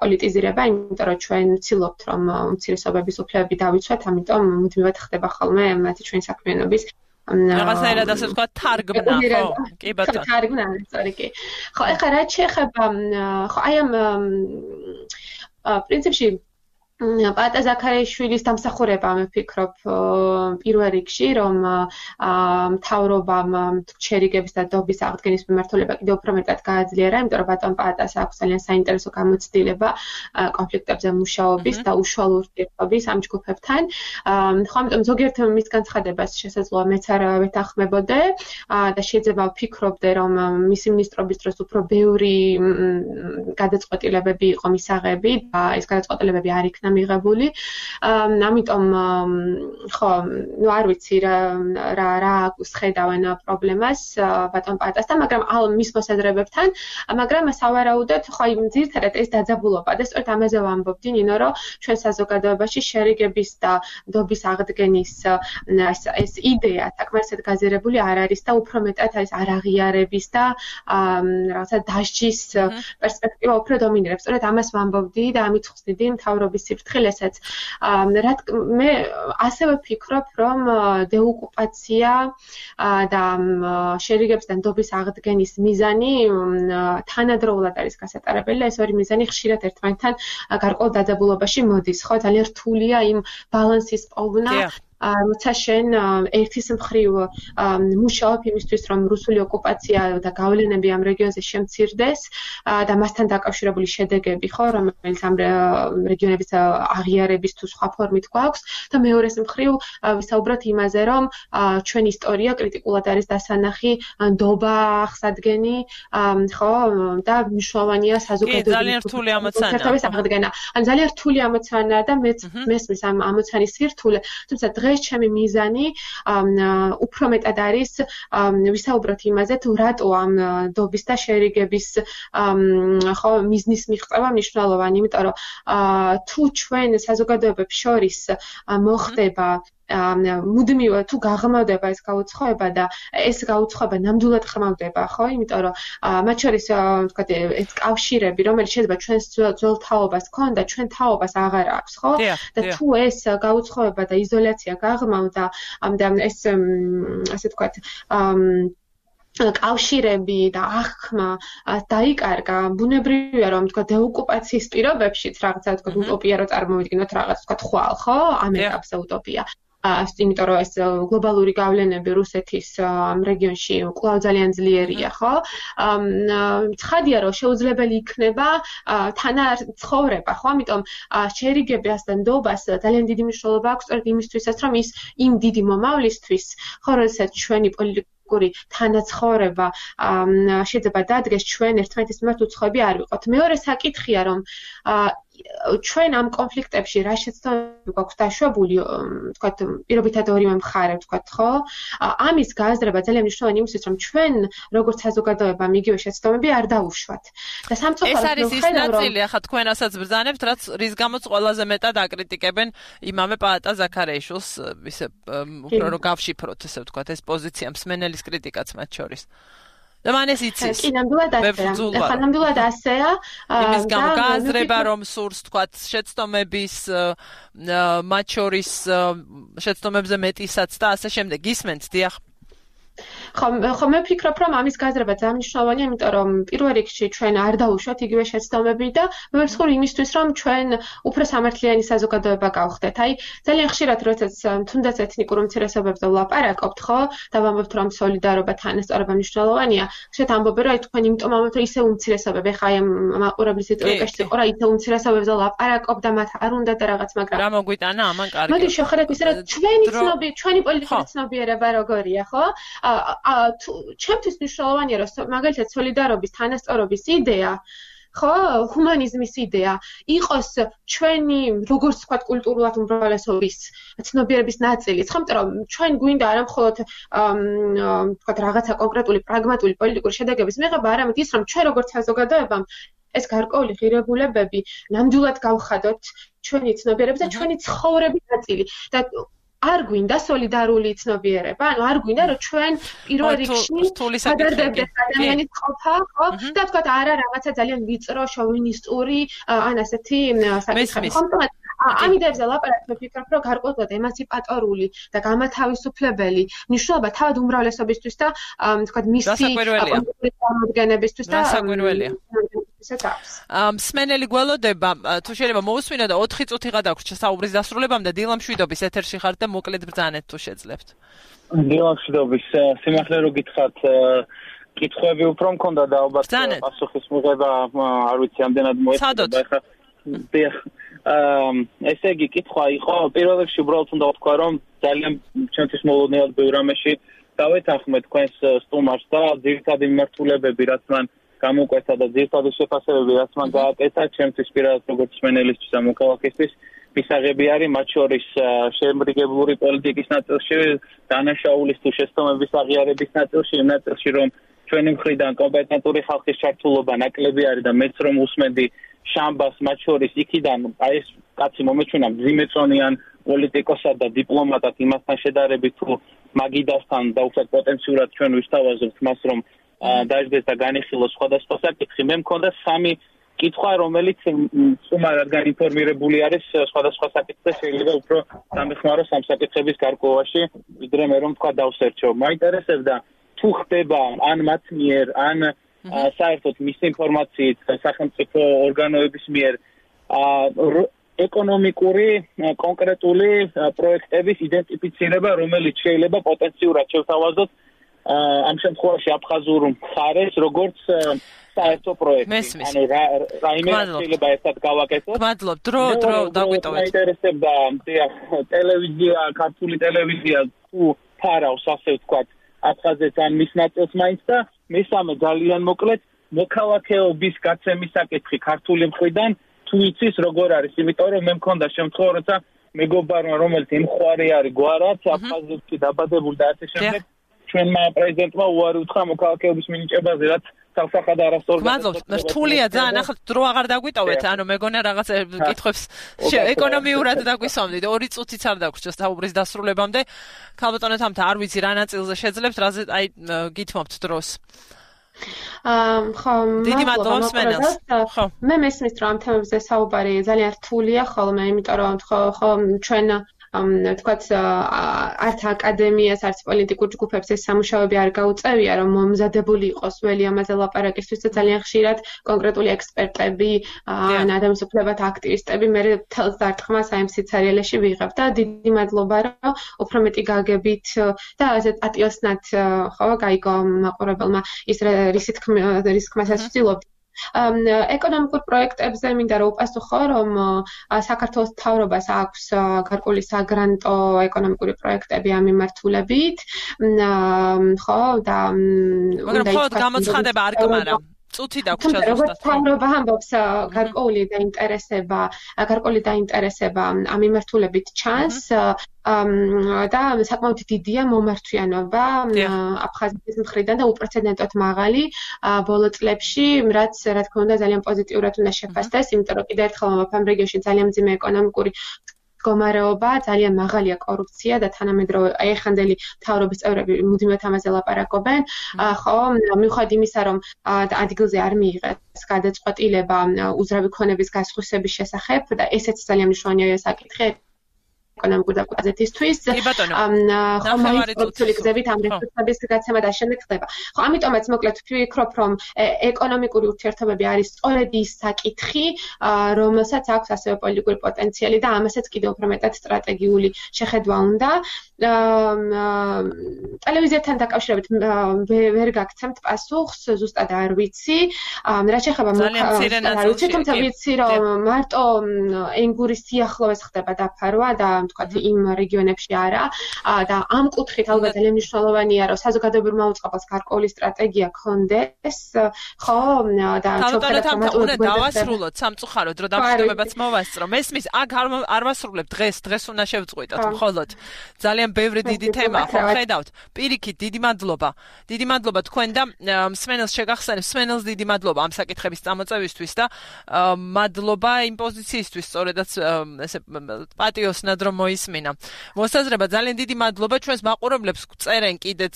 პოლიტიზირება, იმიტომ რომ ჩვენ ვცდილობთ რომ უმცირესობების უფლებები დავიცვათ, ამიტომ მუდმივად ხდება ხოლმე მათი ჩვენი საქმიანობის რაღაცნაირად ასე ვთქვათ თარგმნა ხო კი ბატონო თარგმნა სწორი კი ხო ეხლა რაც შეეხება ხო აი ამ პრინციპში პაატა ზაქარიაშვილის დამსახურება მე ვფიქრობ პირველ რიგში რომ მთავრობამ ჩერიგების და დობის აღდგენის მიმართულება კიდევ უფრო მეტად გააძლიერა, იმიტომ რომ ბატონ პაატას აქვს ძალიან საინტერესო გამოცდილება კონფლიქტებზე მუშაობის და უშუალო ურთიერთობის ამ ჯგუფებთან. ხო, ამიტომ ზოგიერთ მის განცხადებას შესაძლოა მეც არ ვეთანხმებოდე და შეიძლება ვფიქრობდე რომ მისი მინისტრობის დროს უფრო ბევრი გადაწყვეტილებები იყო მისაღები და ეს გადაწყვეტილებები არ იქნა მიღებული. ამიტომ ხო, ნუ არ ვიცი რა ხედავენ პრობლემას ბატონ პაატასთან, მაგრამ მის მოსაზრებებთან, მაგრამ სავარაუდოდ ხო იმ ძირითადად ეს დაძაბულობა და სწორედ ამაზე ვამბობდი, ნინო, რომ ჩვენ საზოგადოებაში შერიგების და დობის აღდგენის ეს იდეა საკმარისად გაზიარებული არ არის და უფრო მეტად ეს არაღიარების და რაღაცა დასჯის პერსპექტივა უფრო დომინირებს. სწორედ ამას ვამბობდი და ამით ხსნიდი მთავრობის სიფრთხილესაც. მე ასევე ვფიქრობ, რომ დეოკუპაცია და შერიგების და დობის აღდგენის მიზანი თანადროულად არის გასატარებელი და ეს ორი მიზანი ხშირად ერთმანეთთან გარკვეულ დაძაბულობაში მოდის. ხო, ძალიან რთულია იმ ბალანსის პოვნა. როცა შენ ერთის მხრივ მუშაობ იმისთვის, რომ რუსული ოკუპაცია და გავლენები ამ რეგიონზე შემცირდეს და მასთან დაკავშირებული შედეგები, ხო, რომელიც ამ რეგიონების აღიარების თუ სხვა ფორმით გვაქვს და მეორეს მხრივ ვისაუბროთ იმაზე, რომ ჩვენი ისტორია კრიტიკულად არის დასანახი, ნდობა აღსადგენი, ხო, და მნიშვნელოვანია საზოგადოების ძალიან რთული ამოცანა. ან ძალიან რთული ამოცანაა და მეც მესმის ამ ამოცანის სირთულე, თუმცა ჩემი მიზანი უფრო მეტად არის ვისაუბროთ იმაზე თუ რატო ამ დობის და შერიგების ხო მიზნის მიღწევა მნიშვნელოვანი, იმიტომ რომ თუ ჩვენ საზოგადოებებს შორის მოხდება მუდმივად თუ გაღრმავდება ეს გაუცხოება და ეს გაუცხოება ნამდვილად ხმავდება, ხო? იმიტომ რომ მათ შორის ვთქვათ ეს კავშირები, რომელიც შეიძლება ჩვენს ძველ თაობას ქონდა, ჩვენ თაობას აღარ აქვს, ხო? და თუ ეს გაუცხოება და იზოლაცია გაღრმავდა, ეს ასე ვთქვათ კავშირები და აღქმა დაიკარგა, ბუნებრივია რომ თქვა დეოკუპაციის პირობებშიც რაღაცა თქვა უტოპია რო წარმოვიდგინოთ რაღაც თქვა ხვალ, ხო? ამ ეტაპზე უტოპია. იმიტომ რომ ეს გლობალური გავლენები რუსეთის რეგიონში კვლავ ძალიან ძლიერია, ხო? ცხადია, რომ შეუძლებელი იქნება თანაცხოვრება, ხო? ამიტომ შერიგებას და ნდობას ძალიან დიდი მნიშვნელობა აქვს სწორედ იმისთვისაც, რომ ის იმ დიდი მომავლისთვის, ხო, როდესაც ჩვენი პოლიტიკური თანაცხოვრება შეიძლება დადგეს ჩვენ ერთმანეთის მიმართ უცხოები არ ვიყოთ. მეორე საკითხია, რომ ჩვენ ამ კონფლიქტებში რა შეცდომები გვაქვს დაშვებული, ვთქვათ, პირობითად ორივე მხარე, ვთქვათ, ხო? ამის გააზრება ძალიან მნიშვნელოვანი იმისთვის, რომ ჩვენ როგორც საზოგადოება მიგივე შეცდომები არ დავუშვათ. და სამწუხაროდ ეს არის ის ნაწილი, ახლა თქვენ რასაც ბრძანებთ, რის გამოც ყველაზე მეტად აკრიტიკებენ იმამე პაატა ზაქარეიშვილს, ისე უფრო რომ გავშიფროთ, ესე ვთქვათ, ეს პოზიცია მსმენელის კრიტიკაც მათ შორის. და მან ეს იცის. კი, ნამდვილად ასეა. ახლა ნამდვილად ასეა. იმის გამო გააზრება, რომ სურს, თქვათ, შეცდომების მათ შორის შეცდომებზე მეტისაც და ასე შემდეგ. გისმენთ, დიახ. ხო მე ვფიქრობ, რომ ამის გააზრება ძალიან მნიშვნელოვანია, იმიტომ რომ პირველ რიგში ჩვენ არ დავუშვათ იგივე შეცდომები და მოვესწრულ იმისთვის, რომ ჩვენ უფრო სამართლიანი საზოგადოება გავხდეთ. აი, ძალიან ხშირად როდესაც თუნდაც ეთნიკურ უმცირესობებზე ვლაპარაკობთ, ხო, და ვამბობთ, რომ სოლიდარობა, თანასწორობა მნიშვნელოვანია, ხშირად ამბობენ, რომ აი თქვენ იმიტომ ამბობთ, რომ ისე უმცირესობები, ხა აი მაყურებლის ეტიკაში იყო, რა ისე უმცირესობებზე ვლაპარაკობ და მათ არ უნდა და რაღაც, მაგრამ რა მოგვიტანა ამან კარგი. მოდი შევხედოთ ისე, რომ ჩვენი პოლიტიკური ცნობიერება როგორია, ხო? ჩემთვის მნიშვნელოვანია, რომ მაგალითად სოლიდარობის, თანასწორობის იდეა, ხო, ჰუმანიზმის იდეა იყოს ჩვენი, როგორც ვთქვათ, კულტურულად უმრავლესობის ცნობიერების ნაწილი. ხო, იმიტომ რომ ჩვენ გვინდა არა მხოლოდ ვთქვათ, რაღაცა კონკრეტული პრაგმატული პოლიტიკური შედეგების მიღება, არამედ ის, რომ ჩვენ როგორც საზოგადოებამ ეს გარკვეული ღირებულებები ნამდვილად გავხადოთ ჩვენი ცნობიერების და ჩვენი ცხოვრების ნაწილი. და არ გვინდა სოლიდარული ცნობიერება, ანუ არ გვინდა რომ ჩვენ პირველ რიგში გადარდებდეთ ადამიანის ყოფა, ხო? და თქვათ არა რაღაცა ძალიან ვიწრო, შოვინისტური, ან ასეთი საკითხები. ხო, ამ იდეებზე ლაპარაკობ, ვფიქრობ, რომ გარკვეულად ემანციპატორული და გამათავისუფლებელი მნიშვნელობა თავად უმრავლესობისთვის და თქვათ მისი წარმოდგენებისთვის და მსმენელი გველოდება, თუ შეიძლება მოусმინო და 4 წუთი გადაგვრჩა საუბრის დასრულებამდე, დილა მშვიდობის ეთერში ხართ და მოკლედ ბრძანეთ თუ შეძლებთ. დილა მშვიდობის, სიმართლე რო გითხრათ, კითხვები უფრო მქონდა და ალბათ პასუხის მიღება არ ვიცი ამდენად მოეწყდა ახლა. ესე იგი კითხვა იყო, პირველ რიგში უბრალოდ უნდა ვთქვა, რომ ძალიან ჩვენთვის მოულოდნელად ბევრ რამეში დავეთანხმეთ თქვენს სტუმარს და ძირითადი მიმართულებები, რაც მან გამოკვეთა და ძირითადი შეფასებები, რაც მან გააკეთა, ჩემთვის პირადად როგორც მსმენელისთვის და მოქალაქისთვის მისაღები არის, მათ შორის შემრიგებლური პოლიტიკის ნაწილში, დანაშაულის თუ შეცდომების აღიარების ნაწილში, იმ ნაწილში, რომ ჩვენი მხრიდან კომპეტენტური ხალხის ჩართულობა ნაკლები არის და მეც რომ უსმენდი შამბას მათ შორის იქიდან აი ეს კაცი მომეჩვენა მძიმეწონიან პოლიტიკოსად და დიპლომატად იმასთან შედარებით თუ მაგიდასთან და უფრო პოტენციურად ჩვენ ვისთავაზებთ მას რომ დაждდეს და განიხილოს სხვადასხვა საკითხი. მე მქონდა 3 კითხვა, რომელიც სტუმარ რადგან ინფორმირებული არის სხვადასხვა საკითხზე, შეიძლება უფრო დამეხმაროს ამ საკითხების გარკვევაში, ვიდრე მე რომ თქვა დავსერჩო. მაინტერესებდა თუ ხდება ან მათ მიერ, ან საერთოდ მისი ინფორმაციით სახელმწიფო ორგანოების მიერ ეკონომიკური კონკრეტული პროექტების იდენტიფიცირება, რომელიც შეიძლება პოტენციურად შევთავაზოთ ამ შემთხვევაში აფხაზურ მხარეს, როგორც საერთო პროექტი. ანუ რაიმე შეიძლება ერთად გავაკეთოთ. მადლობ, დრო დაგვიტოვეთ. მაინტერესებდა ტელევიზია, ქართული ტელევიზია თუ ფარავს, ასე ვთქვათ, აფხაზეთს ან მის ნაწილს მაინც და მესამე ძალიან მოკლედ მოქალაქეობის გაცემის საკითხი ქართული მხრიდან თუ იცის როგორ არის, იმიტომ რომ მე მქონდა შემთხვევა, როცა მეგობარმა რომელიც იმხვარი არის გვარად, აფხაზეთში დაბადებული და ასე შემდეგ, ჩვენმა პრეზიდენტმა უარი უთხრა მოქალაქეობის მინიჭებაზე, რაც თავსახად არასწორად. მადლობ, რთულია ძალიან, ახლა დრო აღარ დაგვიტოვეთ, ანუ მეგონა რაღაც კითხვებს ეკონომიურად დაგვისვამდით, 2 წუთიც არ დაგვრჩა საუბრის დასრულებამდე. ქალბატონო თამთა, არ ვიცი რა ნაწილზე შეძლებთ, რაზე აი გითმობთ დროს. ხო, დიდი მადლობა მსმენელს. ხო. მე მესმის რომ ამ თემებზე საუბარი ძალიან რთულია ხოლმე, იმიტომ რომ ხო ჩვენ თქვათ არც აკადემიას, არც პოლიტიკურ ჯგუფებს ეს სამუშაოები არ გაუწევია, რომ მომზადებული იყოს ველი ამაზე ლაპარაკისთვის და ძალიან ხშირად კონკრეტული ექსპერტები, ან ადამიანის უფლებათა აქტივისტები მე თელს დარტყმას აი ამ სიცარიელეში ვიღებ და დიდი მადლობა რომ უფრო მეტი გაგებით და ასე პატიოსნად ხო გაიგო მაყურებელმა ის რისკმას ასწილობთ ეკონომიკურ პროექტებზე მინდა რომ უპასუხო რომ საქართველოს მთავრობას აქვს გარკვეული საგრანტო ეკონომიკური პროექტები ამ მიმართულებით ხო და მაგრამ მხოლოდ გამოცხადება არ გმარა წუთი დაგვრჩა ზუსტად. მთავრობა ამბობს გარკვეული დაინტერესება ამ მიმართულებით ჩანს და საკმაოდ დიდია მომართვიანობა აფხაზეთის მხრიდან და უპრეცედენტოდ მაღალი ბოლო წლებში, რაც რა თქმა უნდა ძალიან პოზიტიურად უნდა შეფასდეს, იმიტომ რომ კიდევ ერთხელ ვამბობ ამ რეგიონში ძალიან მძიმე ეკონომიკური მდგომარეობა, ძალიან მაღალია კორუფცია და თანამედროვე ეხანდელი მთავრობის წევრები მუდმივად ამაზე ლაპარაკობენ. ხო, მიუხედავად იმისა, რომ ადგილზე არ მიიღეს გადაწყვეტილება უძრავი ქონების გასხვისების შესახებ და ესეც ძალიან მნიშვნელოვანია საკითხი ეკონომიკური დაკავშირებისთვის. ხომალის გზებით ამ რესურსების გაცემა და შემდეგ ხდება. ხო, ამიტომაც მოკლედ ვფიქრობ, რომ ეკონომიკური ურთიერთობები არის სწორედ ის საკითხი, რომელსაც აქვს ასევე პოლიტიკური პოტენციალი და ამასაც კიდევ უფრო მეტად სტრატეგიული შეხედვა უნდა. ტელევიზიასთან დაკავშირებით ვერ გაგცემთ პასუხს, ზუსტად არ ვიცი. რაც შეეხება თუმცა ვიცი, რომ მარტო ენგურის სიახლოვეს ხდება დაფარვა და თქვათ იმ რეგიონებში არა და ამ კუთხით ალბათ ძალიან მნიშვნელოვანია რომ საზოგადოებრივ მოუწყებელს გარკვეული სტრატეგია ქონდეს ხო და უნდა დავასრულოთ სამწუხაროდ რომ დამშვიდობებაც მოვასწრო მესმის აქ არ ვასრულებ დღეს უნდა შევწყვიტოთ მხოლოდ ძალიან ბევრი დიდი თემა ხო ხედავთ პირიქით დიდი მადლობა თქვენ და მსმენელს შეგახსენებ მსმენელს დიდი მადლობა ამ საკითხების წამოწევისთვის და მადლობა იმ პოზიციისთვის სწორედაც ესე პატიოსნად რომ მოისმინა. მოსაზრება ძალიან დიდი მადლობა ჩვენს მაყურებლებს წერენ კიდეც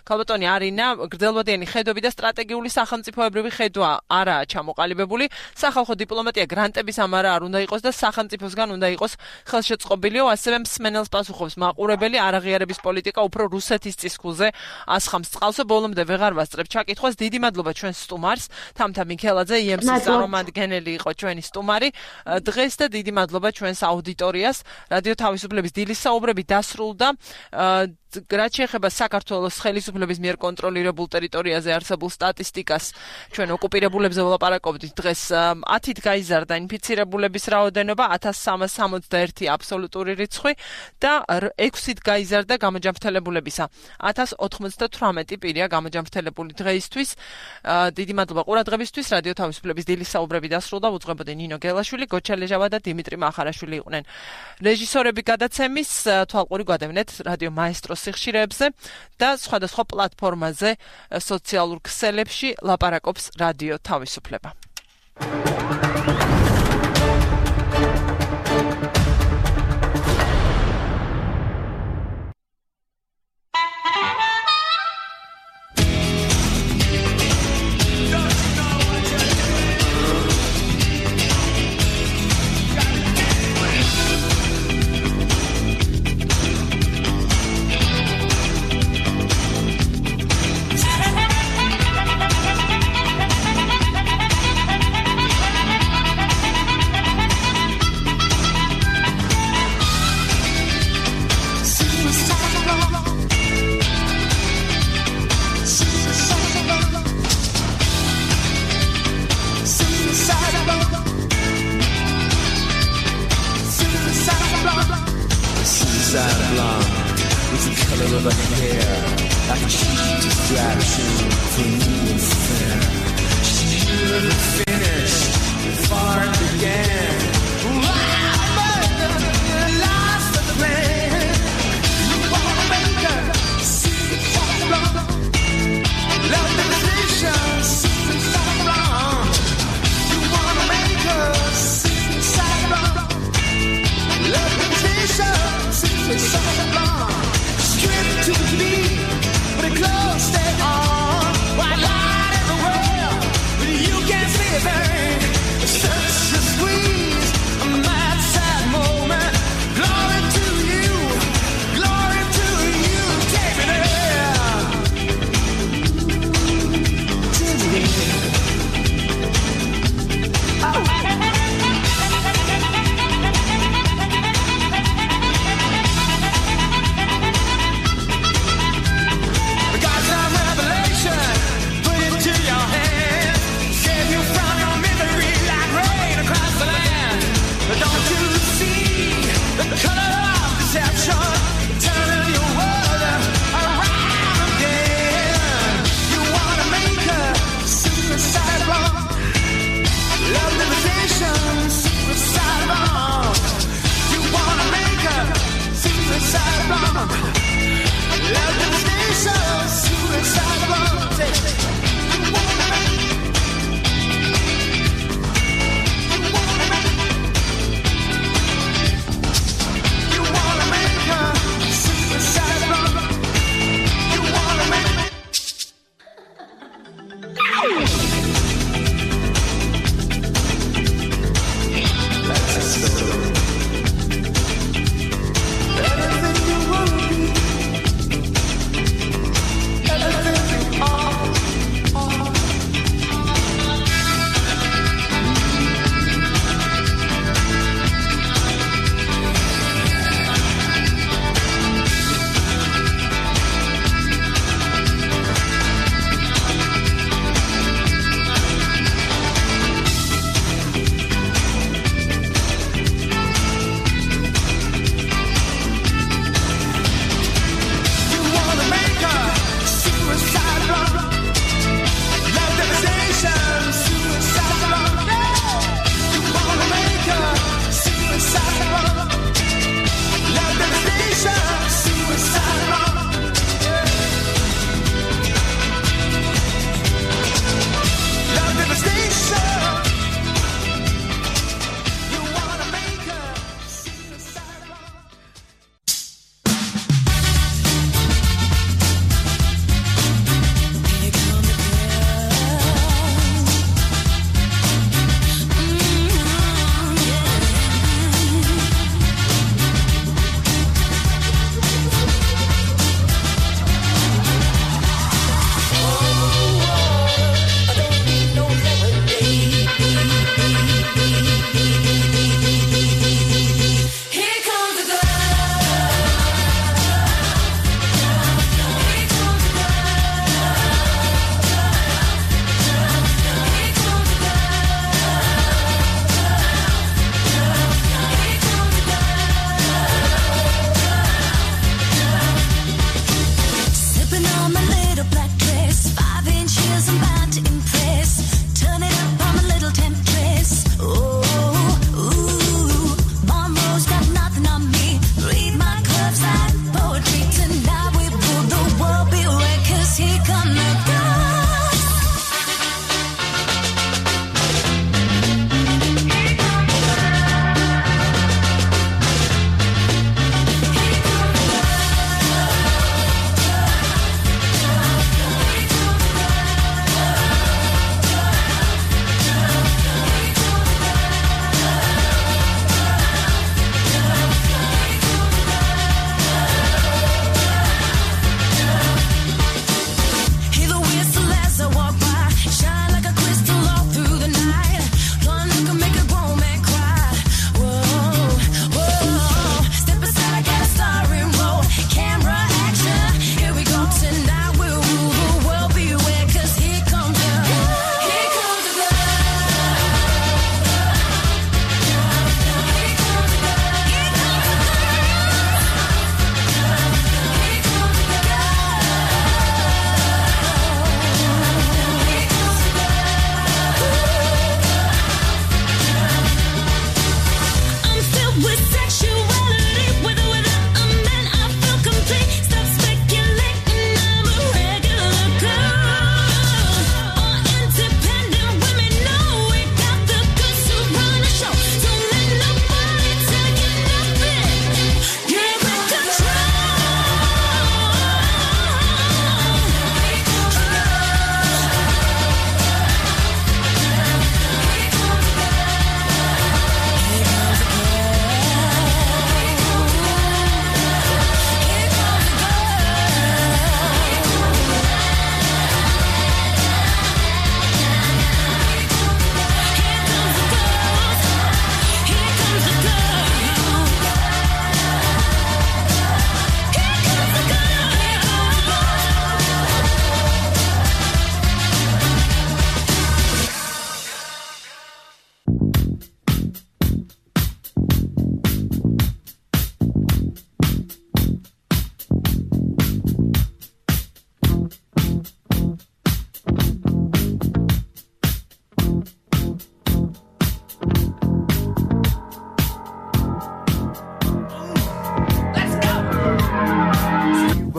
ქალბატონი არინა გრძელვადიანი ხედვები და სტრატეგიული სახელმწიფოებრივი ხედვა არაა ჩამოყალიბებული. სახალხო დიპლომატია გრანტების ამარა არ უნდა იყოს და სახელმწიფოსგან უნდა იყოს ხელშეწყობილიო ასევე მსმენელს პასუხობს მაყურებელი არაღიარების პოლიტიკა უფრო რუსეთის წისქულზე ასხამს წყალსო ბოლომდე ვეღარ ვასწრებ ჩაკითხვას. დიდი მადლობა ჩვენს სტუმარს თამთა მიქელაძე IMC-ის წარმომადგენელი იყო ჩვენი სტუმარი დღეს და დიდი მადლობა ჩვენს აუდიტორიას რადიო თავისუფლების დილის საუბრები დასრულდა რაც შეეხება საქართველოს ხელისუფლების მიერ კონტროლირებულ ტერიტორიაზე არსებულ სტატისტიკას ჩვენ ოკუპირებულებზე ვლაპარაკობდით დღეს 10-ით გაიზარდა ინფიცირებულების რაოდენობა 1361 აბსოლუტური რიცხვი და 6-ით გაიზარდა გამოჯანმრთელებულებისა 1098 პირია გამოჯანმრთელებული დღეისთვის დიდი მადლობა ყურადღებისთვის რადიო თავისუფლების დილის საუბრები დასრულდა უძღვებოდნენ ნინო გელაშვილი გოჩალეჟავა და დიმიტრი მახარაშვილი იყვნენ რეჟისორები გადაცემის თვალყური გვადევნეთ რადიო მაესტრო სიხშირეებზე და სხვადასხვა პლატფორმაზე სოციალურ ქსელებში ლაპარაკობს რადიო თავისუფლება. Such a squeeze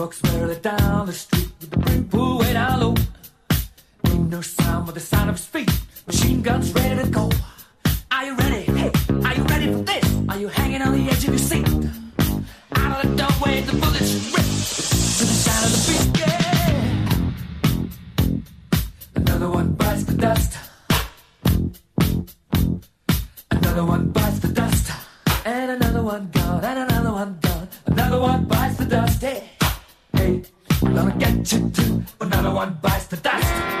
walks merrily down the street with the brim pulled way down low. Ain't no sound but the sound of his feet. Machine guns ready to go. Are you ready? Hey, are you ready for this? Are you hanging on the edge of your seat? Out of the doorway, the bullets rip to the sound of the beat. Yeah. Another one bites the dust. Another one bites the dust. And another one gone. And another one gone. Another one bites the dust. Hey, hey, I'm gonna get you too. Another one bites the dust.